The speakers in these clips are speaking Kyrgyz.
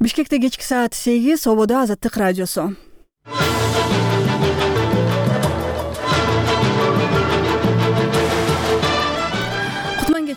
Бишкекте кечки саат 8, Ободо Азаттык радиосу.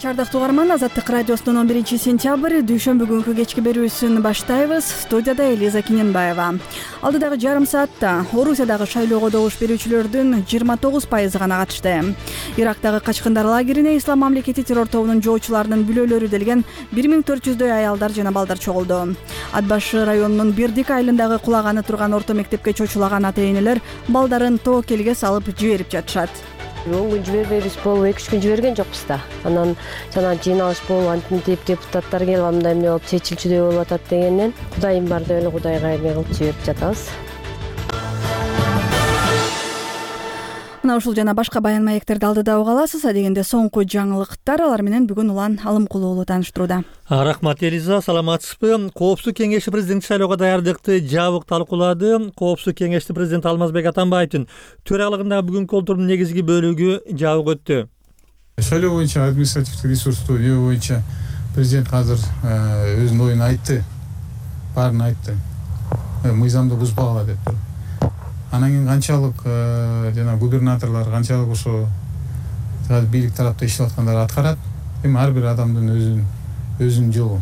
Ардактуу угарман, Азаттык радиосунун 11-сентябрь дүйшөмбү күнкү кечки берүүсүн баштайбыз. Студияда Элиза Киненбаева. Алдыдагы жарым саатта Орусиядагы шайлоого добуш берүүчүлөрдүн 29% гана катышты. Ирактагы качкындар лагерине Ислам мамлекети террор тобунун жоочуларынын бүлөлөрү делген 1400дөй аялдар жана балдар чогулду. Ат башы районунун Бердик айылындагы кулаганы турган орто мектепке чочулаган ата-энелер балдарын тобокелге салып жиберип жатышат. 10 күн жибербейбиз болуп, 2-3 күн жиберген жокпуз да. Анан жана жыйналыш болуп, антип депутаттар келип андай эмне болуп чечилчүдөй болуп атат дегенден, Кудайым бар деп эле Кудайга эме кылып жиберип жатабыз. Мына ушул жана башка баян маектерди алдыда уга аласыз. Дегенде соңку жаңылыктар, алар менен бүгүн Улан Алымкулуу уулу тааныштырууда. Рахмат Элиза, саламатсызбы? Коопсуздук кеңеши президенттик шайлоого даярдыкты жабык талкуулады. Коопсуздук кеңешти президент Алмазбек Атамбаевдин төрагалыгындагы бүгүнкү олтурумдун негизги бөлүгү жабык өттү. Шайлоо боюнча административдик ресурсту жөө боюнча президент азыр өзүнүн оюн айтты, баарын айтты. Мыйзамды бузбагыла деп. Анан кийин канчалык жана губернаторлор канчалык ошо бийлик тарапта иштеп аткандар аткарат. Эми ар бир адамдын өзүнүн жолу.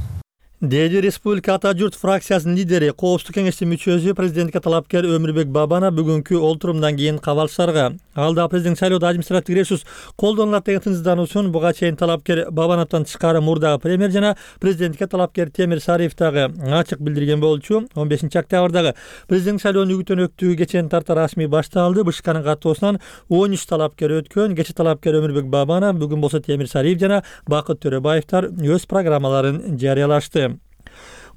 Деди Республика Ата журт фракциясынын лидери, Коопсуздук кеңештин мүчөсү, президентке талапкер Өмүрбек Бабана бүгүнкү олтурумдан кийин кабалчыларга алда президент шайлоодо административдик ресурс колдонулат деген тынчсыздануусун буга чейин талапкер Бабановдон тышкары мурдагы премьер жана президентке талапкер Темир Сариев дагы ачык билдирген болчу. 15-октябрдагы президент шайлоонун үгүттөнөктүгү кечен тарта расмий башталды. БШКнын каттоосунан 13 талапкер өткөн. Кече талапкер Өмүрбек Бабана, бүгүн болсо Темир Сариев жана Бакыт Төрөбаевдер өз программаларын жарыялашты.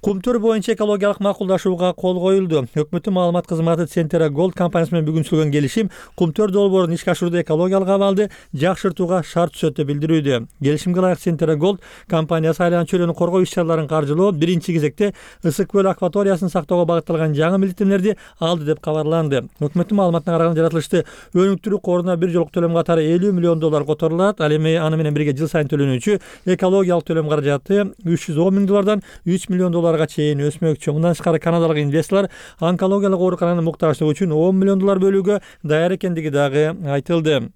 Кумтөр боюнча экологиялык макулдашууга кол коюлду. Өкмөттүн маалымат кызматы Центера Голд компаниясы менен бүгүн түзүлгөн келишим Кумтөр долбоорун ишке ашырууда экологиялык абалды жакшыртууга шарт түзөт деп билдирүүдө. Келишимге ылайык Центера Голд компаниясы айланчу чөйрөнү коргоо иш-чараларын каржылоо, биринчи кезекте Ысык көл акваториясын сактоого багытталган жаңы милдеттенүүлөрдү алды деп кабарланды. Өкмөттүн маалыматына караганда жаратылышты өнүктүрүү коруна бир жолку төлөм катары $50 миллион которулат. Ал эми аны менен бирге жыл сайын төлөнүүчү экологиялык төлөм каражаты $310 миң $3 миллион чейин өсмөкчү. Мындан тышкары канадалык инвесторлор онкологиялык оорукананын муктаждыгы үчүн $10 миллион бөлүүгө даяр экендиги дагы айтылды.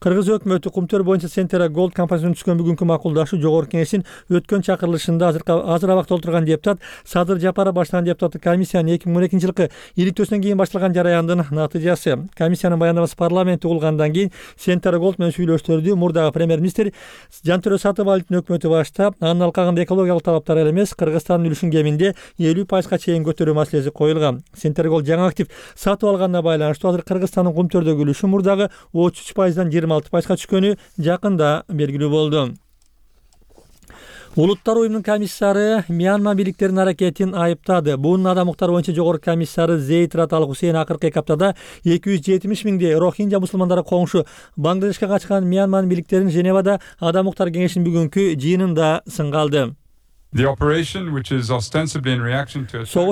Кыргыз өкмөтү Кумтөр боюнча Центера Голд компаниясынын түзгөн бүгүнкү макулдашуу жогорку кеңештин өткөн чакырылышында азыр абакта отурган депутат Садыр Жапаров баштаган депутаттык комиссиянын 2012 жылкы иликтөөсүнөн кийин башталган жараяндын натыйжасы. Комиссиянын баяндамасы парламентте угулгандан кийин Центера Голд менен сүйлөштөрдү мурдагы премьер-министр Жантөрө Сатыбалдын өкмөтү баштап, анын алкагында экологиялык талаптар эле эмес, Кыргызстандын үлүшүн кеминде 50% чейин көтөрүү маселеси коюлган. Центера Голд жаңы актив сатып алганына байланыштуу азыр Кыргызстандын Кумтөрдөгү үлүшү мурдагы 33%дан 26%га түшкөнү жакында белгилүү болду. Улуттар уюмунун комиссары Мьянма бийликтеринин аракетин айыптады. Буунун адам укуктары боюнча жогорку комиссары Зейд Рат Ал Хусейн акыркы 2 аптада 270 миңдей рохинджа мусулмандары коңшу Бангладешке качкан Мьянманын бийликтерин Женевада адам укуктары кеңешинин бүгүнкү жыйынында сынга алды. Согуш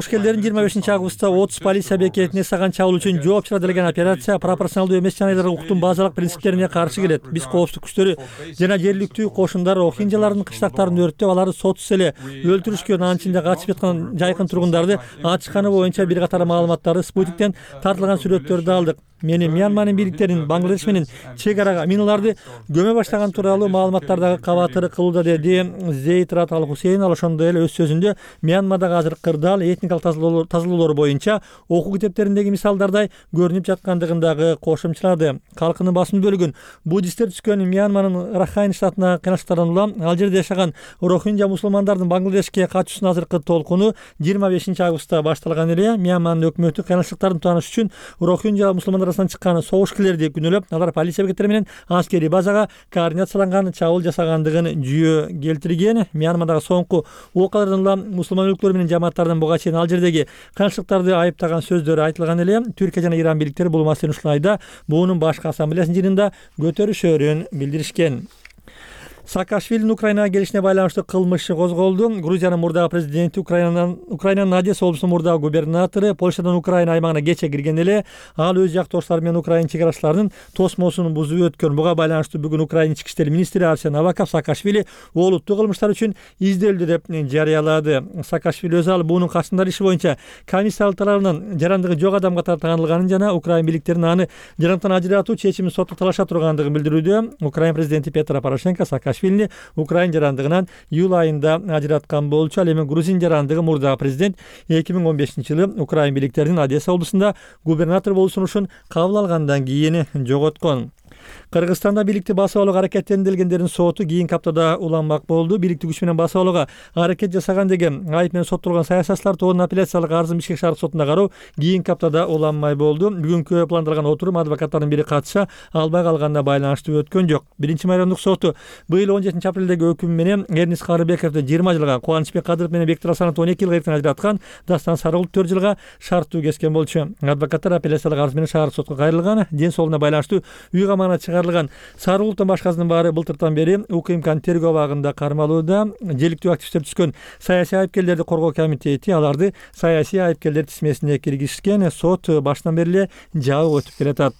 келдерин 25 августта 30 полиция бекетине саган чабуул үчүн жооп чыгарылган операция пропорционалдуу эмес жанагылар укуктун базалык принциптерине каршы келет. Биз коопсуздук күчтөрү жана жергиликтүү кошундар рохинджалардын кыштактарын өрттөп, аларды сотсуз эле өлтүрүшкөн, анын ичинде качып жаткан жайкын тургундарды ачканы боюнча бир катар маалыматтарды спутниктен тартылган сүрөттөрдү алдык. Мени Мьянманын бийликтерин Бангладеш менен чек арага миналарды көмө баштаган тууралуу маалыматтардагы кабатыр кылууда, деди Зейд Рат Ал Хусейн. Ал ошондой эле өз сөзүндө Мьянмадагы азыр кырдаал этникалык тазалоолор боюнча окуу китептериндеги мисалдардай көрүнүп жаткандыгын дагы кошумчалады. Калкынын басым бөлүгүн буддисттер түзгөн Мьянманын Рахайн штатына кыйынчылыктардан улам ал жерде жашаган рохинджа мусулмандардын Бангладешке качуусунун азыркы толкуну 25 августта башталган эле. Мьянманын өкмөтү кыйынчылыктарын тааныш үчүн рохинджа мусулмандар арасынан чыккан согушкерлерди күнөөлөп, алар полиция бекеттери менен аскерий базага координацияланган чабуул жасагандыгын жүйө келтирген. Мьянмадагы соңку окуялардан улам мусулман өлкөлөр менен жамааттардын буга чейин ал жердеги кыйынчылыктарды айыптаган сөздөрү айтылган эле. Түркия жана Иран бийликтери бул маселени ушул айда буунун башкы ассамблеясынын жыйынында көтөрүшөрүн билдиришкен. Саакашвилинин Украинага келишине байланыштуу кылмыш козголду. Грузиянын мурдагы президенти, Украинанын Одесса облусунун мурдагы губернатору Польшадан Украина аймагына кече кирген эле ал өз жактоштору менен Украина чек арачыларынын тосмосун бузуп өткөн. Буга байланыштуу бүгүн Украина ички иштер министри Арсен Аваков Саакашвили олуттуу кылмыштар үчүн изделди деп жарыялады. Саакашвили өз алып буунун качкындар иши боюнча комиссия тарабынан жарандыгы жок адам катары таанылганын жана Украина бийликтеринин аны жарандыктан ажыратуу чечимин сотко талаша тургандыгын билдирүүдө. Украина президенти Петро Порошенко Саакашвилини Украина жарандыгынан июль айында ажыраткан болчу. Ал эми грузин жарандыгы мурдагы президент 2015-жылы Украина бийликтеринин Одесса облусунда губернатор болуу сунушун кабыл алгандан кийин жоготкон. Кыргызстанда бийликти басып алууга аракеттендиргендердин соту кийинки аптада уланмак болду. Бийликти күч менен басып алууга аракет жасаган деген айып менен соттолгон саясатчылар тобунун апелляциялык арызын Бишкек шаардык сотунда кароо кийинки аптада уланмай болду. Бүгүнкү пландалган отурум адвокаттардын бири катыша албай калганына байланыштуу өткөн жок. 1-майрамдык соту быйыл 17-апрелдеги өкүм менен Эрнис Карыбековду 20 жылга, Кубанычбек Кадыров менен Бектур Асановду 12 жылга эртен ажыраткан, Дастан Сарыгулду 4 жылга шарттуу кескен болчу. Адвокаттар апелляциялык арыз менен шаардык сотко кайрылган. Ден соолугуна байланыштуу үй камагына чыгарылган Сарыгулдун башкасынын баары былтыртан бери УКМКнын тергөө абагында кармалууда. Желиктүү активисттер түшкөн саясий айыпкерлерди коргоо комитети аларды саясий айыпкерлер тизмесине киргизишкен. Сот башынан бери эле жабык өтүп келатат.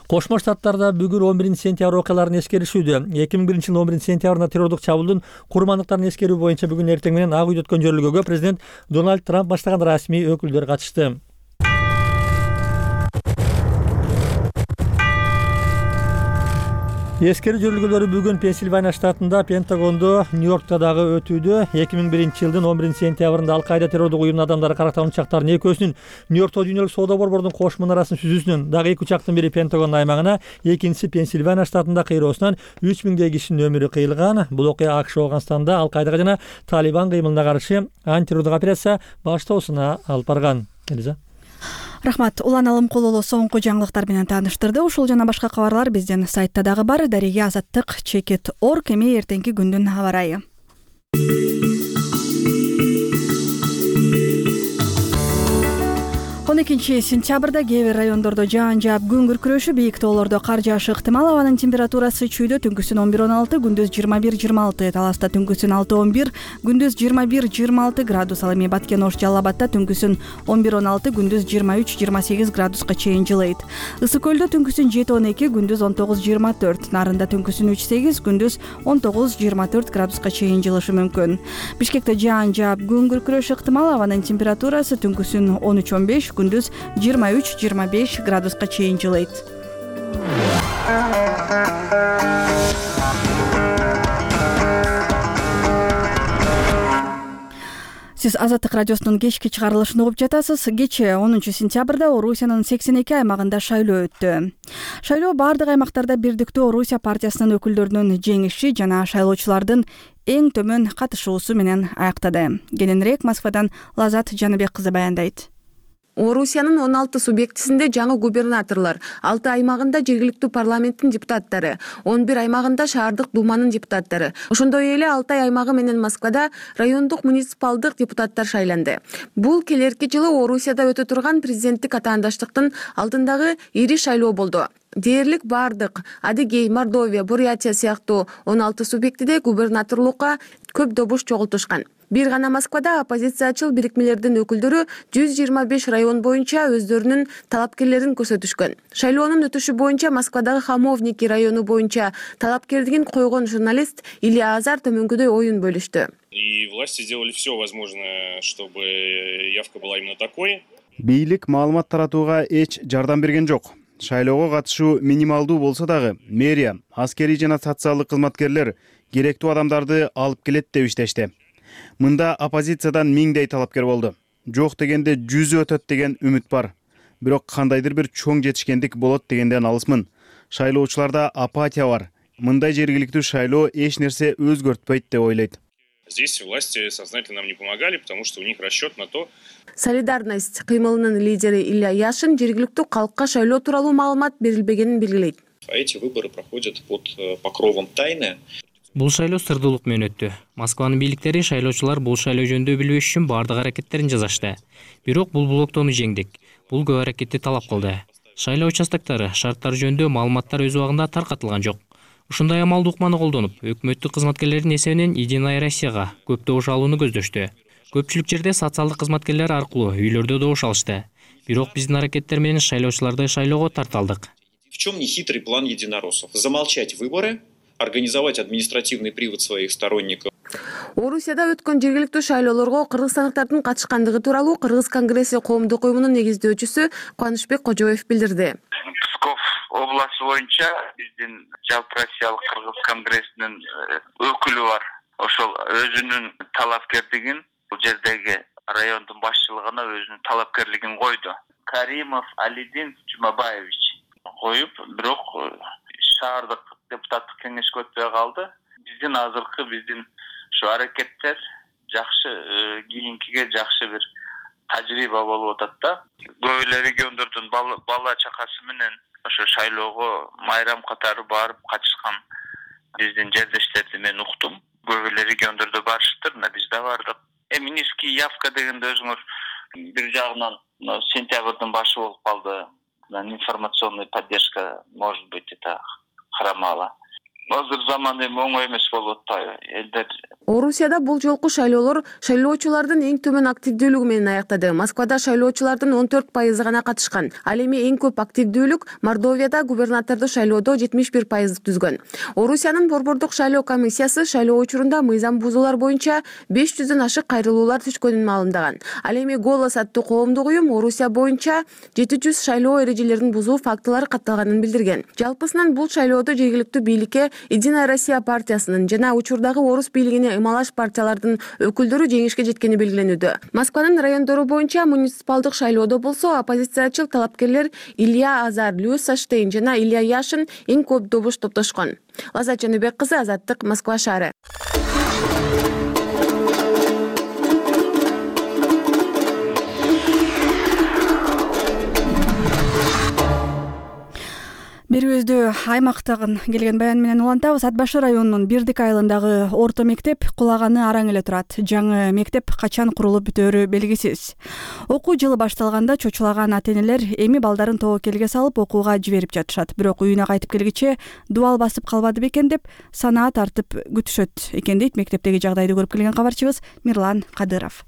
Кошмо Штаттарда бүгүн 11-сентябрь окуяларын эскеришүүдө. 2001-жылдын 11-сентябрында террордук чабуулдун курмандыктарын эскерүү боюнча бүгүн эртең менен Ак үйдө өткөн жөрөлгөгө президент Дональд Трамп баштаган расмий өкүлдөр катышты. Эскерүү жөрөлгөлөрү бүгүн Пенсильвания штатында, Пентагондо, Нью-Йоркто дагы өтүүдө. 2001-жылдын 11-сентябрында Ал-Каида террордук уюмунун адамдары карактаган учактардын экөөсүнүн Нью-Йоркто дүйнөлүк соода борбордун кош мунарасын сүзүүсүнөн дагы 2 учактын бири Пентагон аймагына, экинчиси Пенсильвания штатында кыйроосунан 3000 кишинин өмүрү кыйылган. Бул окуя АКШ Афганстанда Ал-Каидага жана Талибан кыймылына каршы антитеррордук операция баштоосуна алып барган. Элиза. Рахмат. Улан Алымкулулу соңку жаңылыктар менен тааныштырды. Ушул жана башка кабарлар биздин сайтта дагы бар. Дареге Азаттык _org. Эми эртеңки күндүн аба ырайы. 12-сентябрда кээ бир райондордо жаан жаап күн күркүрөшү, бийик тоолордо кар жаашы ыктымал. Абанын температурасы чүйдө түнкүсүн 11-16, күндүз 21-26, Таласта түнкүсүн 6-11, күндүз 21-26 градус. Ал эми Баткен Ош Жалал Абадта түнкүсүн 11-16, күндүз 23-28 градуска чейин жылыйт. Ысык көлдө түнкүсүн 7-12, күндүз 19-24, Нарында түнкүсүн 3-8, күндүз 19-24 градуска чейин жылышы мүмкүн. Бишкекте жаан жаап күн күркүрөшү ыктымал. Абанын температурасы түнкүсүн 13-15, күндүз 23-25 градуска чейин жылыйт. Сиз Азаттык радиосунун кечки чыгарылышын угуп жатасыз. Кече 10-сентябрда Орусиянын 82 аймагында шайлоо өттү. Шайлоо бардык аймактарда бирдиктүү Орусия партиясынын өкүлдөрүнүн жеңиши жана шайлоочулардын эң төмөн катышуусу менен аяктады. Кененирээк Москвадан Лазат Жаныбек кызы баяндайт. Орусиянын 16 субъектисинде жаңы губернаторлор, 6 аймагында жергиликтүү парламенттин депутаттары, 11 аймагында шаардык думанын депутаттары, ошондой эле Алтай аймагы менен Москвада райондук муниципалдык депутаттар шайланды. Бул келерки жылы Орусияда өтө турган президенттик атаандаштыктын алдындагы ири шайлоо болду. Дээрлик бардык Адыгей, Мордовия, Бурятия сыяктуу 16 субъектиде губернаторлукка көп добуш чогултушкан. Бир гана Москвада оппозициячыл бирикмелердин өкүлдөрү 125 район боюнча өздөрүнүн талапкерлерин көрсөтүшкөн. Шайлоонун өтүшү боюнча Москвадагы Хамовники району боюнча талапкерлигин койгон журналист Илья Азар төмөнкүдөй оюн бөлүштү. И власти сделали все возможное, чтобы явка была именно такой. Бийлик маалымат таратууга эч жардам берген жок. Шайлоого катышуу минималдуу болсо дагы мэрия, аскерий жана социалдык кызматкерлер керектүү адамдарды алып келет деп иштешти. Мында оппозициядан 1000дей талапкер болду. Жок дегенде 100 өтөт деген үмүт бар. Бирок кандайдыр бир чоң жетишкендик болот дегенден алысмын. Шайлоочуларда апатия бар. Мындай жергиликтүү шайлоо эч нерсе өзгөртпөйт деп ойлойт. Здесь власти сознательно нам не помогали, потому что у них расчет на то. Солидарность кыймылынын лидери Илья Яшин жергиликтүү калкка шайлоо тууралуу маалымат берилбегенин белгилейт. Эти выборы проходят под покровом тайны. Бул шайлоо сырдуулук менен өттү. Москванын бийликтери шайлоочулар бул шайлоо жөнүндө билбеш үчүн бардык аракеттерин жасашты. Бирок бул блоктоону жеңдик. Бул көп аракетти талап кылды. Шайлоо участоктары шарттары жөнүндө маалыматтар өз убагында таркатылган жок. Ушундай амалды укманы колдонуп, өкмөттүк кызматкерлердин эсебинен Единая Россияга көп добуш алууну көздөштү. Көпчүлүк жерде социалдык кызматкерлер аркылуу үйлөрдө добуш алышты. Бирок биздин аракеттер менен шайлоочуларды шайлоого тарта алдык. В чем нехитрый план единороссов? Замолчать выборы, организовать административный привод своих сторонников. Орусияда өткөн жергиликтүү шайлоолорго кыргызстандыктардын катышкандыгы тууралуу Кыргыз конгресси коомдук уюмунун негиздөөчүсү Кубанычбек Кожоев билдирди. Псков областы боюнча биздин жалпы Россиялык Кыргыз конгрессинин өкүлү бар. Ошол өзүнүн талапкерлигин бул жердеги райондун башчылыгына өзүнүн талапкерлигин койду. Каримов Алидин Жумабаевич коюп, бирок шаардык депутаттык кеңешке өтпөй калды. Биздин ушу аракеттер жакшы, кийинкиге жакшы бир тажрыйба болуп атат да. Көп эле региондордун бала чакасы менен ошо шайлоого майрам катары барып катышкан биздин жердештерди мен уктум. Көп эле региондордо барышыптыр, мына биз да бардык. Низкий явка дегенде өзүңөр бир жагынан сентябрдын башы болуп калды. Информационная поддержка, может быть, это хромала. Азыр заман эми оңой эмес болуп атпайбы? Элдер Орусияда бул жолку шайлоолор шайлоочулардын эң төмөн активдүүлүгү менен аяктады. Москвада шайлоочулардын 14% гана катышкан. Ал эми эң көп активдүүлүк Мордовияда губернаторду шайлоодо 71% түзгөн. Орусиянын борбордук шайлоо комиссиясы шайлоо учурунда мыйзам бузуулар боюнча 500дөн ашык кайрылуулар түшкөнүн маалымдаган. Ал эми «Голос» аттуу коомдук уюм Орусия боюнча 700 шайлоо эрежелерин бузуу фактылары катталганын билдирген. Жалпысынан бул шайлоодо жергиликтүү бийликке Единая Россия партиясынын жана учурдагы орус бийлигине ымалаш партиялардын өкүлдөрү жеңишке жеткени белгиленүүдө. Москванын райондору боюнча муниципалдык шайлоодо болсо оппозициячыл талапкерлер Илья Азар, Люс Саштейн жана Илья Яшин эң көп добуш топтошкон. Лаззат Жаныбек кызы, Азаттык, Москва шаары. Берүүбүздү аймактагын келген баян менен улантабыз. Ат Башы районунун Бирдик айылындагы орто мектеп кулаганы араң эле турат. Жаңы мектеп качан курулуп бүтөөрү белгисиз. Окуу жылы башталганда чочулаган ата-энелер эми балдарын тобокелге салып окууга жиберип жатышат. Бирок үйүнө кайтып келгиче дубал басып калбады бекен деп санаа тартып күтүшөт экен дейт мектептеги жагдайды көрүп келген кабарчыбыз Мирлан Кадыров.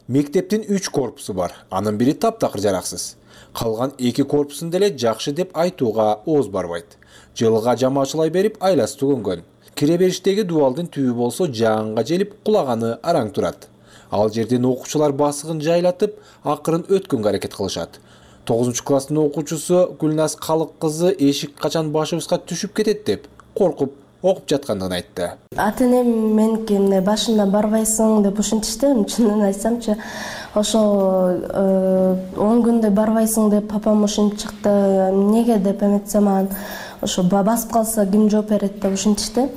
Мектептин 3 корпусу бар. Анын бири таптакыр жараксыз. Калган 2 корпусун деле жакшы деп айтууга ооз барбайт. Жылга жамаачылай берип айласы түгөнгөн. Кире бериштеги дубалдын түбү болсо жаанга желип кулаганы араң турат. Ал жерден окуучулар басыгын жайлатып, акырын өткөнгө аракет кылышат. 9-класстын окуучусу Гүлназ Калык кызы эшик качан башыбызга түшүп кетет деп коркуп окуп жаткандыгын айтты. Ата-энем меники башында барбайсың деп ушинтишти. Чынын айтсамчы, ошо 10 күндө барбайсың деп папам ушинтип чыкты. Неге деп эметсем, ошо басып калса ким жооп берет деп ушинтишти.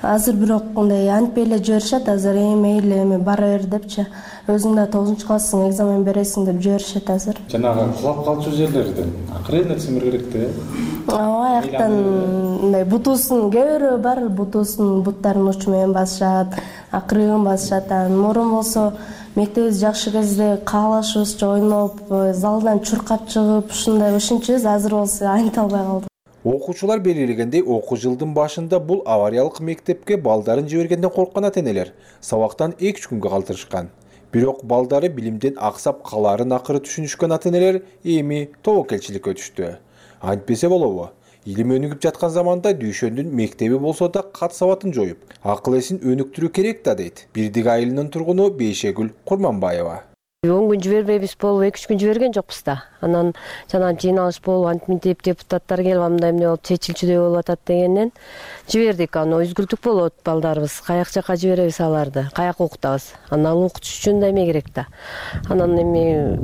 Азыр бирок мындай антпей эле жиберишет. Азыр эми бара бер депчи. Өзүң да 9-класстын экзамен бересиң деп жиберишет азыр. Жанагы кулап калчу жерлерден акырын симир керек да. Аяктан мындай бутуусун кээ бар, бутуусун буттарын учу менен басышат, акырын басышат. Мурун болсо мектебибиз жакшы кезде каалашыбызча ойноп, залдан чуркап чыгып, ушундай ушинчүбүз. Азыр болсо айнта албай калдык. Окуучулар белгилегендей, окуу жылдын башында бул авариялык мектепке балдарын жибергенден корккан ата-энелер сабактан 2 күнгө калтырышкан. Бирок балдары билимден аксап калаарын акыры түшүнүшкөн ата-энелер эми тобокелчиликке өтүштү. Антпесе болобу? Илим өнүгүп жаткан заманда дүйшөндүн мектеби болсо да кат сабатын жоюп, акыл эсин өнүктүрүү керек да дейт Бирдик айылынын тургуну Бейшегүл Курманбаева. 10 күн жибербейбиз болуп 2-3 күн жиберген жокпуз да. Анан жана жыйналыш болуп антиминтип депутаттар келип андай эмне болуп чечилчүдөй болуп атат дегенден жибердик. Аны үзгүлтүк болот балдарыбыз. Каяк жака жиберебиз аларды? Каяк окутабыз? Анан окутуш үчүн да эме керек да. Анан эми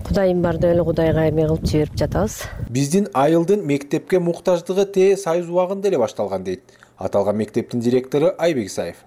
Кудайым бар деп эле Кудайга эме кылып жиберип жатабыз. Биздин айылдын мектепке муктаждыгы Союз убагында эле башталган дейт аталган мектептин директору Айбек Исаев.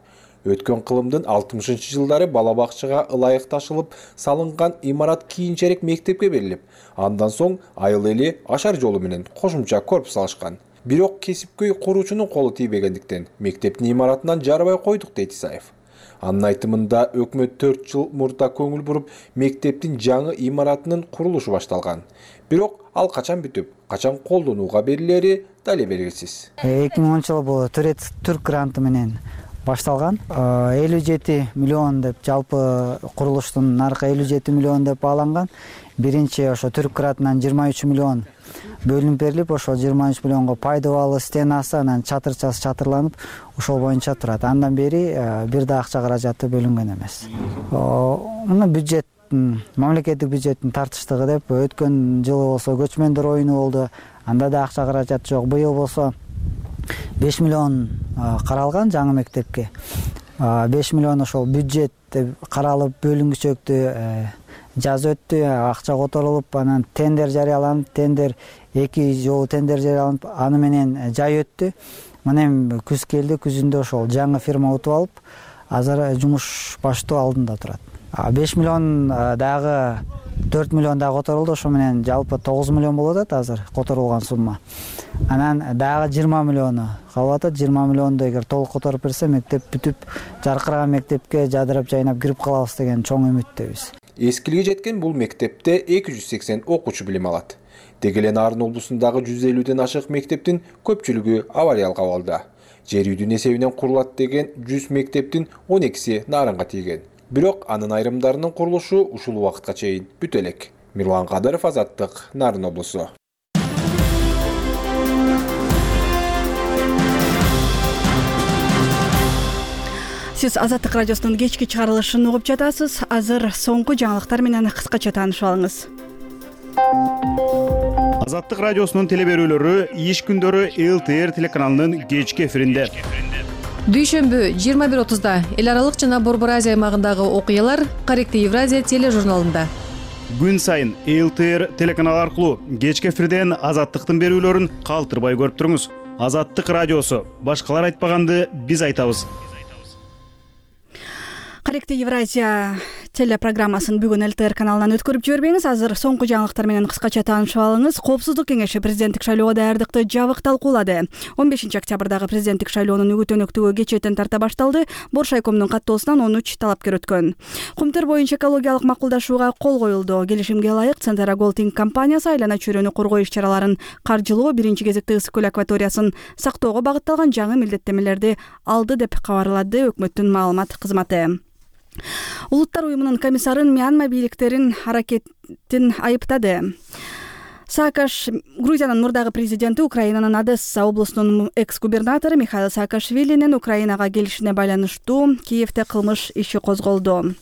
Өткөн кылымдын 60-жылдары бала бакчага ылайык ташылып салынган имарат кийинчерээк мектепке берилип, андан соң айыл эли ашар жолу менен кошумча корпус алышкан. Бирок кесипкөй куруучунун колу тийбегендиктен мектептин имаратынан жарбай койдук дейт Исаев. Анын айтымында өкмөт 4 жыл мурда көңүл буруп мектептин жаңы имаратынын курулушу башталган. Бирок ал качан бүтүп, качан колдонууга берилери дале белгисиз. 2010 жылы бул Түрк гранты менен башталган. 57 миллион деп жалпы курулуштун наркы 57 миллион деп бааланган. Биринчи ошо Түрк грантынан 23 миллион бөлүнүп берилип, ошол 23 миллионго пайдабалы стенасы, анан чатырчасы чатырланып, ошол боюнча турат. Андан бери бир да акча каражаты бөлүнгөн эмес. Муну бюджет, мамлекеттик бюджеттин тартыштыгы деп өткөн жылы болсо көчмөндөр оюну болду. Анда да акча каражат жок. Быйыл болсо 5 миллион каралган жаңы мектепке. 5 миллион ошол бюджет каралып бөлүнгүчөктү жаз өттү, акча которулуп, анан тендер жарыяланып, тендер 2 жолу тендер жарыяланып, аны менен жай өттү. Мына эми күз келди, күзүндө ошол жаңы фирма утуп алып, азыр жумуш баштоо алдында турат. 5 миллион дагы 4 миллион дагы которулду, ошо менен жалпы 9 миллион болуп атат азыр которулган сумма. Анан дагы 20 миллиону калып атат. 20 миллионду эгер толук которуп берсе, мектеп бүтүп, жаркыраган мектепке жадырап жайнап кирип калабыз деген чоң үмүттөбүз. Эскилиге жеткен бул мектепте 280 окуучу билим алат. Деги эле Нарын облусундагы 150ден ашык мектептин көпчүлүгү авариялык абалда. Жер үйдүн эсебинен курулат деген 100 мектептин 12си Нарынга тийген. Бирок анын айрымдарынын курулушу ушул убакытка чейин бүтө элек. Мирлан Кадыров, Азаттык, Нарын облусу. Сиз Азаттык радиосунун кечки чыгарылышын угуп жатасыз. Азыр соңку жаңылыктар менен кыскача таанышып алыңыз. Азаттык радиосунун телеберүүлөрү иш күндөрү ЛТР телеканалынын кечки эфиринде. Дүйшөмбү 21:30да эл аралык жана Борбор Азия аймагындагы окуялар Корректив Евразия тележурналында. Күн сайын ЛТР телеканалы аркылуу кечки эфирден Азаттыктын берүүлөрүн калтырбай көрүп туруңуз. Азаттык радиосу. Башкалар айтпаганды биз айтабыз. Корректив Евразия телепрограммасын бүгүн ЛТР каналынан өткөрүп жибербеңиз. Азыр соңку жаңылыктар менен кыскача таанышып алыңыз. Коопсуздук кеңеши президенттик шайлоого даярдыкты жабык талкуулады. 15 октябрдагы президенттик шайлоонун үгүт-өнөктүгү кечээттен тарта башталды. Боршайкомдун каттоосунан 13 талапкер өткөн. Кумтөр боюнча экологиялык макулдашууга кол коюлду. Келишимге ылайык Центара Голдинг компаниясы айлана чөйрөнү коргоо иш-чараларын каржылоо, биринчи кезекте Ысык көл акваториясын сактоого багытталган жаңы милдеттемелерди алды деп кабарлады өкмөттүн маалымат кызматы. Улуттар уюмунун комиссарын Мьянма бийликтерин аракетин айыптады. Саакаш, Грузиянын мурдагы президенти, Украинанын Одесса облусунун экс-губернатору Михаил Саакашвилинин Украинага келишине байланыштуу Киевде кылмыш иши козголду.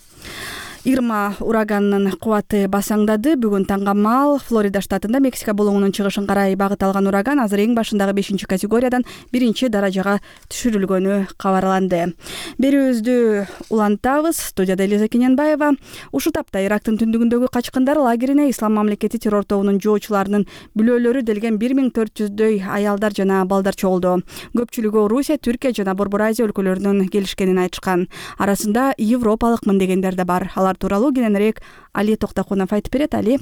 Ирма ураганынын кубаты басаңдады. Бүгүн таңга маал Флорида штатында Мексика булуңунун чыгышын карай багыт алган ураган азыр эң башындагы 5 категориядан 1 даражага түшүрүлгөнү кабарланды. Берүүбүздү улантабыз. Студияда Элиза Кененбаева. Ушул тапта Ирактын түндүгүндөгү качкындар лагерине Ислам мамлекети террор тобунун жоочуларынын бүлөлөрү делген 1400дөй аялдар жана балдар чогулду. Көпчүлүгү Орусия, Түркия жана Борбор Азия өлкөлөрүнөн келишкенин айтышкан. Арасында европалыкмын дегендер да бар. Алар тууралуу кененирээк Али Токтокунов айтып берет. Али.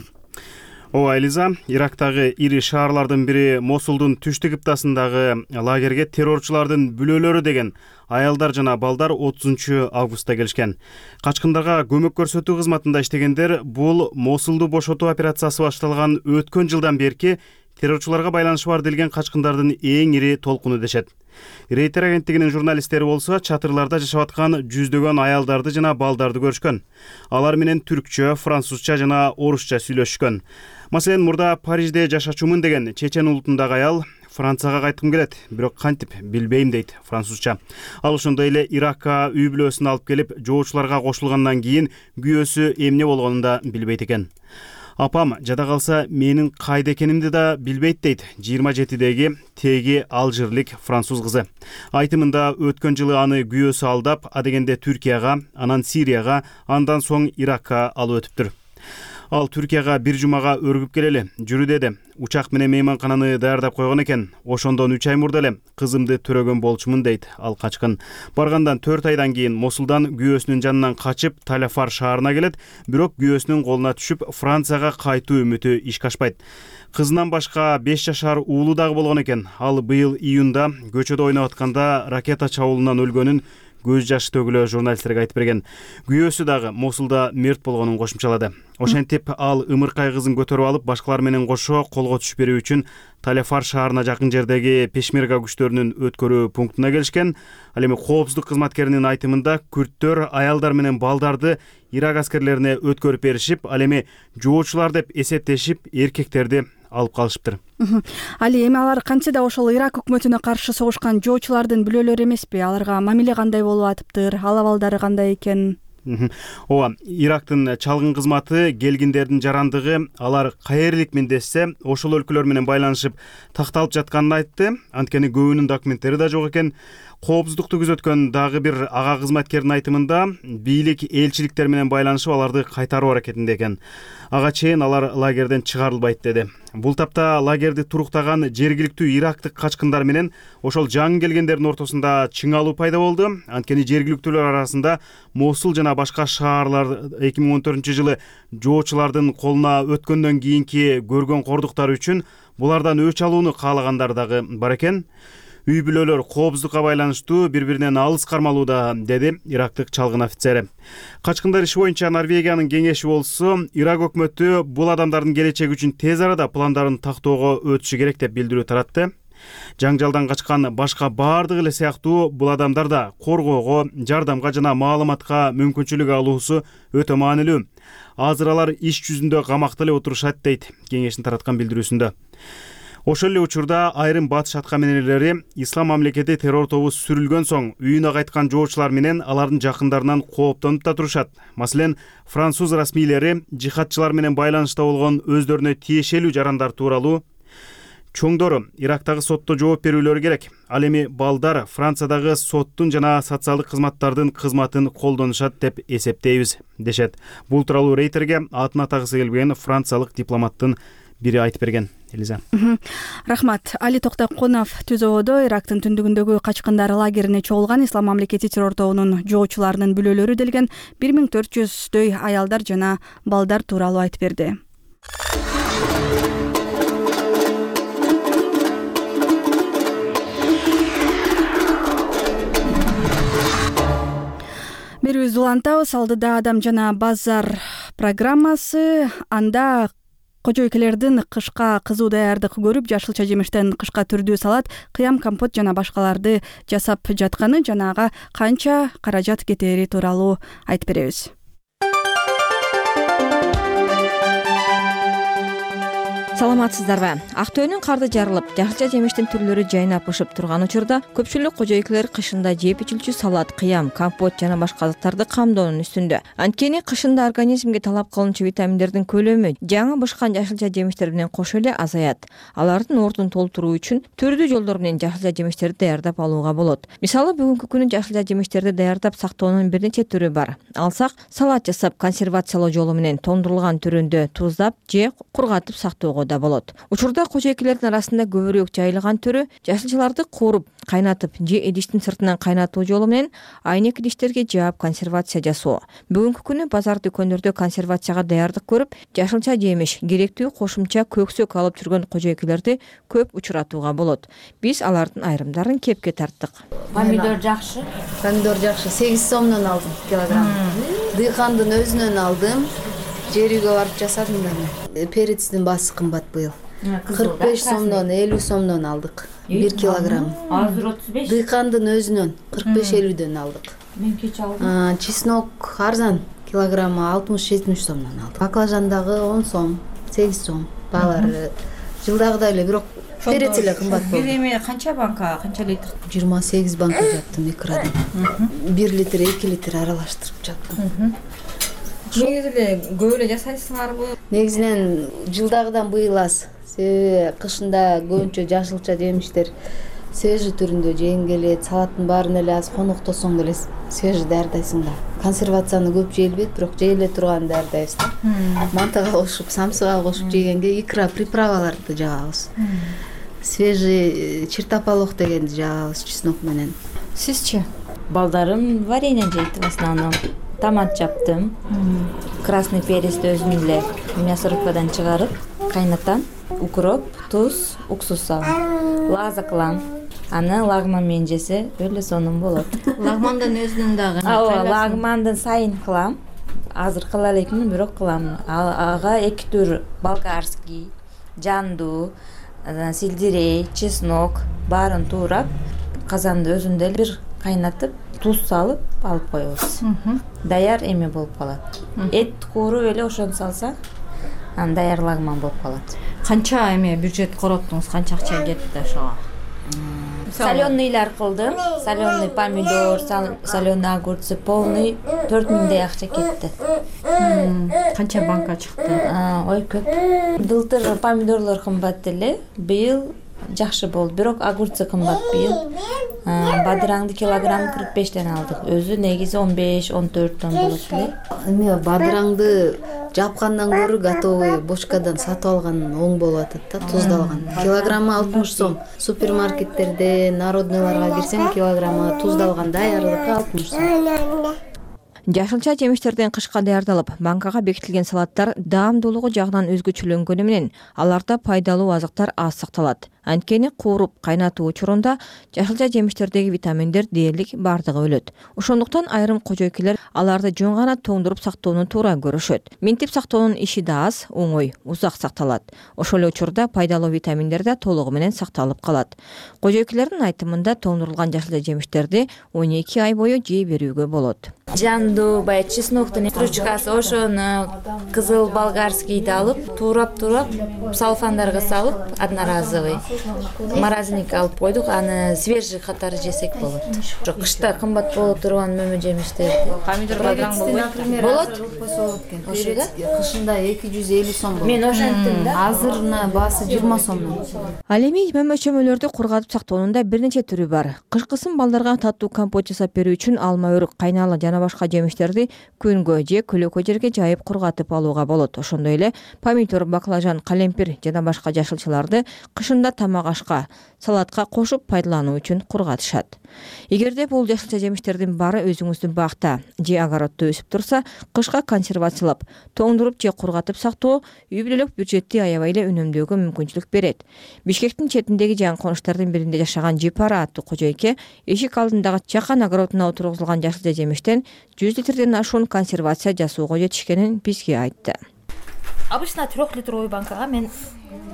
Ооба, Элиза, Ирактагы ири шаарлардын бири Мосулдун түштүк кыптасындагы лагерге террорчулардын бүлөлөрү деген аялдар жана балдар 30 августта келишкен. Качкындарга көмөк көрсөтүү кызматында иштегендер бул Мосулду бошотуу операциясы башталган өткөн жылдан берки террорчуларга байланышы бар делген качкындардын эң ири толкуну дешет. Рейтер агенттигинин журналисттери болсо чатырларда жашап аткан жүздөгөн аялдарды жана балдарды көрүшкөн. Алар менен түркчө, французча жана орусча сүйлөшкөн. Маселен, мурда Парижде жашачумун деген чечен улутундагы аял Францияга кайткым келет, бирок кантип билбейм дейт французча. Ал ошондой эле Иракка үй бүлөсүн алып келип, жоочуларга кошулгандан кийин күйөөсү эмне болгонун да билбейт экен. Апам жада калса менин кайда экенимди да билбейт дейт 27деги теги алжирлик француз кызы. Айтымында өткөн жылы аны күйөөсү алдап, адегенде Түркияга, анан Сирияга, андан соң Иракка алып өтүптүр. Ал Түркияга бир жумага өргүп келели. Жүрү деди. Учак менен мейманкананы даярдап койгон экен. Ошондон 3 ай мурда эле кызымды төрөгөн болчумун дейт ал качкын. Баргандан 4 айдан кийин Мосулдан күйөөсүнүн жанынан качып Таляфар шаарына келет, бирок күйөөсүнүн колуна түшүп Францияга кайтуу үмүтү ишке ашпайт. Кызынан башка 5 жашар уулу дагы болгон экен. Ал быйыл июнда көчөдө ойноп атканда ракета чабуулунан өлгөнүн көз жашы төгүлө журналисттерге айтып берген. Күйөөсү дагы Мосулда мерт болгонун кошумчалады. Ошентип ал ымыркай кызын көтөрүп алып, башкалар менен кошо колго түшүп берүү үчүн Талефар шаарына жакын жердеги Пешмерга күчтөрүнүн өткөрүү пунктуна келишкен. Ал эми коопсуздук кызматкеринин айтымында күрттөр аялдар менен балдарды Ирак аскерлерине өткөрүп беришип, ал эми жоочулар деп эсептешип, эркектерди алып калышыптыр. Али эми алар кантсе да ошол Ирак өкмөтүнө каршы согушкан жоочулардын бүлөлөрү эмеспи? Аларга мамиле кандай болуп атыптыр? Ал абалдары кандай экен? Ооба, Ирактын чалгын кызматы келгиндердин жарандыгы алар каериликмин десе, ошол өлкөлөр менен байланышып такталып жатканын айтты. Анткени көбүнүн документтери да жок экен. Коопсуздукту күзөткөн дагы бир ага кызматкердин айтымында бийлик элчиликтер менен байланышып аларды кайтаруу аракетинде экен. Ага чейин алар лагерден чыгарылбайт деди. Бул тапта лагерди туруктаган жергиликтүү ирактык качкындар менен ошол жаңы келгендердин ортосунда чыңалуу пайда болду. Анткени жергиликтүүлөр арасында Мосул жана башка шаарлар 2014-жылы жоочулардын колуна өткөндөн кийинки көргөн кордуктары үчүн булардан өч алууну каалагандар дагы бар экен. Үй бүлөлөр коопсуздукка байланыштуу бири-биринен алыс кармалууда, деди ирактык чалгын офицери. Качкындар иши боюнча Норвегиянын кеңеши болсо, Ирак өкмөтү бул адамдардын келечеги үчүн тез арада пландарын тактоого өтүшү керек деп билдирүү таратты. Жаңжалдан качкан башка баардык эле сыяктуу бул адамдар да коргоого, жардамга жана маалыматка мүмкүнчүлүк алуусу өтө маанилүү. Азыр алар иш жүзүндө камакта эле отурушат, дейт кеңештин тараткан билдирүүсүндө. Ошол эле учурда айрым батыш аткаминерлери Ислам мамлекети террор тобу сүрүлгөн соң үйүнө кайткан жоочулар менен алардын жакындарынан кооптонуп да турушат. Маселен, француз расмийлери жихадчылар менен байланышта болгон өздөрүнө тиешелүү жарандар тууралуу чоңдору Ирактагы сотто жооп берүүлөрү керек. Ал эми балдар Франциядагы соттун жана социалдык кызматтардын кызматын колдонушат деп эсептейбиз, дешет. Бул тууралуу Рейтерге атын атагысы келбеген франциялык дипломаттын бири айтып берген. Элиза. Рахмат. Али Токтокунов Түзөбөдө Ирактын түндүгүндөгү качкындар лагерине чогулган Ислам мамлекети террор тобунун жоочуларынын бүлөлөрү делген 1400дөй аялдар жана балдар тууралуу айтып берди. Берүүбүздү улантабыз. Алдыда Адам жана базар программасы. Анда кожойкелердин кышка кызуу даярдык көрүп, жашылча жемиштен кышка түрдүү салат, кыям, компот жана башкаларды жасап жатканы жана ага канча каражат кетери тууралуу айтып беребиз. Саламатсыздарбы? Актөөнүн карды жарылып, жашылча жемиштин түрлөрү жайнап ышып турган учурда көпчүлүк кожойкелер кышында жеп ичилчү салат, кыям, компот жана башка заттарды камдоонун үстүндө. Анткени кышында организмге талап кылынчу витаминдердин көлөмү жаңы бышкан жашылча жемиштер менен кошо эле азаят. Алардын ордун толтуруу үчүн түрдүү жолдор менен жашылча жемиштерди даярдап алууга болот. Мисалы, бүгүнкү күнү жашылча жемиштерди даярдап сактоонун бир нече түрү бар. Алсак, салат жасап консервациялоо жолу менен тоңдурулган түрүндө туздап же кургатып сактоого да болот. Учурда кожойкелердин арасында көбүрөөк жайылган түрү жашылчаларды кууруп, кайнатып же идиштин сыртынан кайнатуу жолу менен айнек идиштерге жаап консервация жасоо. Бүгүнкү күнү базар дүкөндөрдө консервацияга даярдык көрүп, жашылча жемиш, керектүү кошумча көксөк алып жүргөн кожойкелерди көп учуратууга болот. Биз алардын айрымдарын кепке тарттык. Помидор жакшы. Помидор жакшы. 8 сомдон алдым килограмм. Дыйкандын өзүнөн алдым. Жериге барып жасадым да. Перецтин баасы кымбат быйыл. 45 сомдон, 50 сомдон алдык. 1 килограмм. Азыр 35. Дыйкандын өзүнөн 45-50дөн алдык. Мен кеч алдым. Чеснок арзан, килограммы 60-70 сомдон алдык. Баклажан дагы 10 сом, 8 сом. Баалары жылдагыдай эле, бирок перец эле кымбат болду. Бир эме канча банка, канча литр? 28 банка жаптым экрадан. 1 литр, 2 литр аралаштырып жаптым. Негизи эле көп эле жасайсыңарбы? Негизинен жылдагыдан быйыл аз. Себеби кышында көбүнчө жашылча жемиштер свежий түрүндө жеген келет, салаттын баарын эле аз коноктосоң деле свежий даярдайсың да. Консервацияны көп жейилбейт, бирок жейиле турган даярдайбыз да. Мантага кошуп, самсыга кошуп жегенге икра приправаларды жагабыз. Свежий чертополох дегенди жагабыз чеснок менен. Сизчи? Балдарым варенье жейт в основном. Томат жаптым. Красный перецти өзүм эле мясорубкадан чыгарып, кайнатам. Укроп, туз, уксус салам. Лаза кылам. аны лагман менен жесе өлө сонун болот. Лагмандын өзүнүн дагы ооба, лагмандын сайын кылам. Азыр кыла элекмин, бирок кылам. Ага 2 түр болгарский, жанду, сельдерей, чеснок баарын туурап, казанды өзүндө бир кайнатып, туз салып алып коебуз. Даяр эме болуп калат. Эт кууруп эле ошону салсак, анан даяр лагман болуп калат. Канча эме бюджет короттуңуз, канча акча кетти ошого? Соленыйлар кылдым. Соленый помидор, соленый огурцы, полный 4000дей акча кетти. Канча банка чыкты? Ой, көп. Былтыр помидорлор кымбат эле, быйыл жакшы болду. Бирок огурцы кымбат быйыл. Бадыраңды килограмм 45ден алдык. Өзү негизи 15-14 тонн болот эле. Эме бадыраңды жапкандан көрө готовый бочкадан сатып алган оң болуп атат да, туздалган. Килограммы 60 сом. Супермаркеттерде, народныйларга кирсең, килограммы туздалган даярлыкка 60 сом. Жашылча жемиштерден кышка даярдалып, банкага бекитилген салаттар даамдуулугу жагынан өзгөчөлөнгөнү менен аларда пайдалуу азыктар аз сакталат. Анткени кууруп кайнатуу учурунда жашылча жемиштердеги витаминдер дээрлик бардыгы өлөт. Ошондуктан айрым кожойкелер аларды жөн гана тоңдуруп сактоону туура көрүшөт. Минтип сактоонун иши да аз, оңой, узак сакталат. Ошол эле учурда пайдалуу витаминдер да толугу менен сакталып калат. Кожойкелердин айтымында тоңдурулган жашылча жемиштерди 12 ай бою жей берүүгө болот. Жанду, баягы чесноктун стручкасы, ошону кызыл болгарскийди алып, туурап салфандарга салып, одноразовый морозильникке алып койдук, аны свежий катары жесек болот. Кышта кымбат боло турган мөмө жемиштерди. Помидор бадыраң болбойт? Болот. Ошо кышында 250 сом болот. Мен ошентим да. Азыр баасы 20 сомдон. Ал эми мөмө чөмөлөрдү кургатып сактоонун да бир нече түрү бар. Кышкысын балдарга таттуу компот жасап берүү үчүн алма, өрүк, кайнала жана башка жемиштерди күнгө же көлөкө жерге жайып кургатып алууга болот. Ошондой эле помидор, баклажан, калемпир жана башка жашылчаларды кышында тамак ашка, салатка кошуп пайдалануу үчүн кургатышат. Эгерде бул жашылча жемиштердин баары өзүңүздүн бакта же огороддо өсүп турса, кышка консервациялап, тоңдуруп же кургатып сактоо үй бүлөлүк бюджетти аябай эле үнөмдөөгө мүмкүнчүлүк берет. Бишкектин четиндеги жаңы конуштардын биринде жашаган Жипара аттуу кожойке эшик алдындагы чакан огородуна отургузулган жашылча жемиштен 100 литрден ашуун консервация жасоого жетишкенин бизге айтты. Обычно 3-литровый банкага мен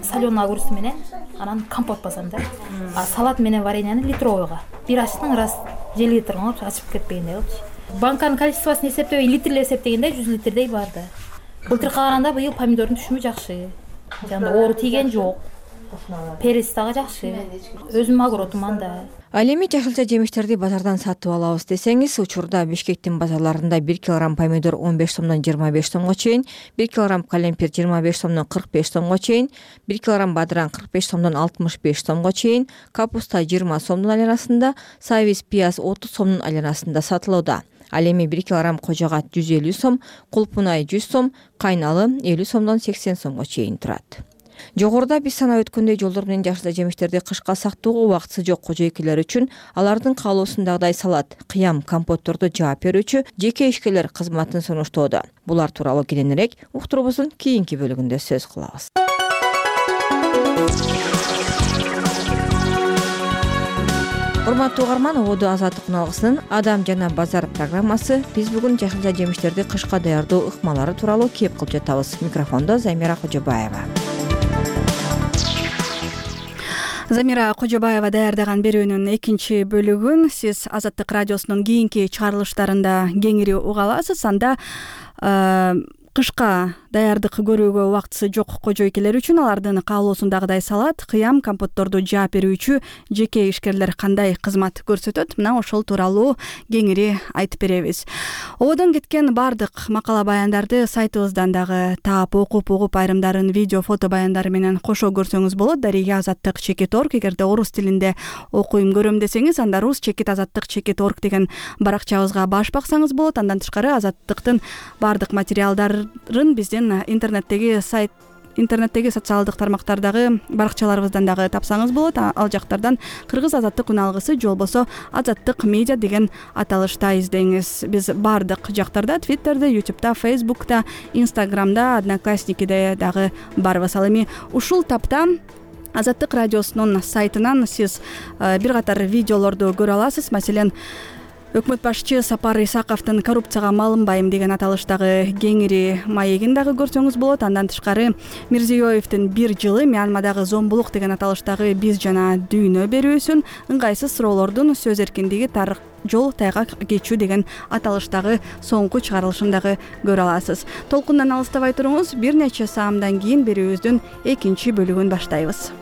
соленый огурец менен анан компот басам да. Салат менен вареньяны литровыйга. Бир ачтың раз 1 литр алып ачып кетпегендей кылчы. Банканын количествосын эсептебей, литрлеп эсептегенде 100 литрдей бар да. Былтыр калганда быйыл помидордун түшүмү жакшы. Жанда оору тийген жок. Перец дагы жакшы. Өзүм огородум анда. Ал эми жашылча жемиштерди базардан сатып алабыз десеңиз, учурда Бишкектин базарларында 1 килограмм помидор 15 сомдон 25 сомго чейин, 1 килограмм калемпир 25 сомдон 45 сомго чейин, 1 килограмм бадыраң 45 сомдон 65 сомго чейин, капуста 20 сомдун айланасында, сабиз пияз 30 сомдун айланасында сатылууда. Ал эми 1 килограмм кожогат 150 сом, кулпунай 100 сом, кайналы 50 сомдон 80 сомго чейин турат. Жогоруда биз санап өткөндөй жолдор менен жашылча жемиштерди кышка сактоого убактысы жок кожойкелер үчүн алардын каалоосундагыдай салат, кыям, компотторду жаап берүүчү жеке ишкерлер кызматын сунуштоодо. Булар тууралуу кененирээк уктурубуздун кийинки бөлүгүндө сөз кылабыз. Урматтуу угарман, Ободо Азаттык уналгысынын Адам жана базар программасы биз бүгүн жашылча жемиштерди кышка даярдоо ыкмалары тууралуу кеп кылып жатабыз. Микрофондо Замира Кожобаева. Замира Кожобаева даярдаган берүүнүн экинчи бөлүгүн сиз Азаттык радиосунун кийинки чыгарылыштарында кеңири уга аласыз. Анда кышка даярдык көрүүгө убактысы жок кожойкелер үчүн алардын каалоосундагыдай салат, кыям, компотторду жаап берүүчү жеке ишкерлер кандай кызмат көрсөтөт? Мына ошол тууралуу кеңири айтып беребиз. Ободон кеткен бардык макала баяндарды сайтыбыздан дагы таап окуп айрымдарын видео, фото баяндары менен кошо көрсөңүз болот. Дарыга Азаттык.org. Эгерде орус тилинде окуйм көрөм десеңиз, анда rus.azattik.org деген баракчабызга баш баксаңыз болот. Андан тышкары Азаттыктын бардык материалдарын биздин интернеттеги социалдык тармактардагы баракчаларыбыздан дагы тапсаңыз болот. Ал жактардан Кыргыз Азаттык уналгысы же болбосо Азаттык медиа деген аталышта издеңиз. Биз бардык жактарда, Twitterде, YouTube'да, Facebook'та, Instagram'да, Одноклассникиде дагы барбыз. Ал эми ушул тапта Азаттык радиосунун сайтынан сиз бир катар видеолорду көрө аласыз. Маселен, өкмөт башчы Сапар Исаковдун коррупцияга малынбайм деген аталыштагы кеңири маегин дагы көрсөңүз болот. Андан тышкары Мирзиёевдин 1 жылы Мьянмадагы зомбулук деген аталыштагы биз жана дүйнө берүүсүн, ыңгайсыз суроолордун сөз эркиндиги жол тайгак кечүү деген аталыштагы соңку чыгарылышын дагы көрө аласыз. Толкундан алыстабай туруңуз, бир нече саамдан кийин берүүбүздүн экинчи бөлүгүн баштайбыз.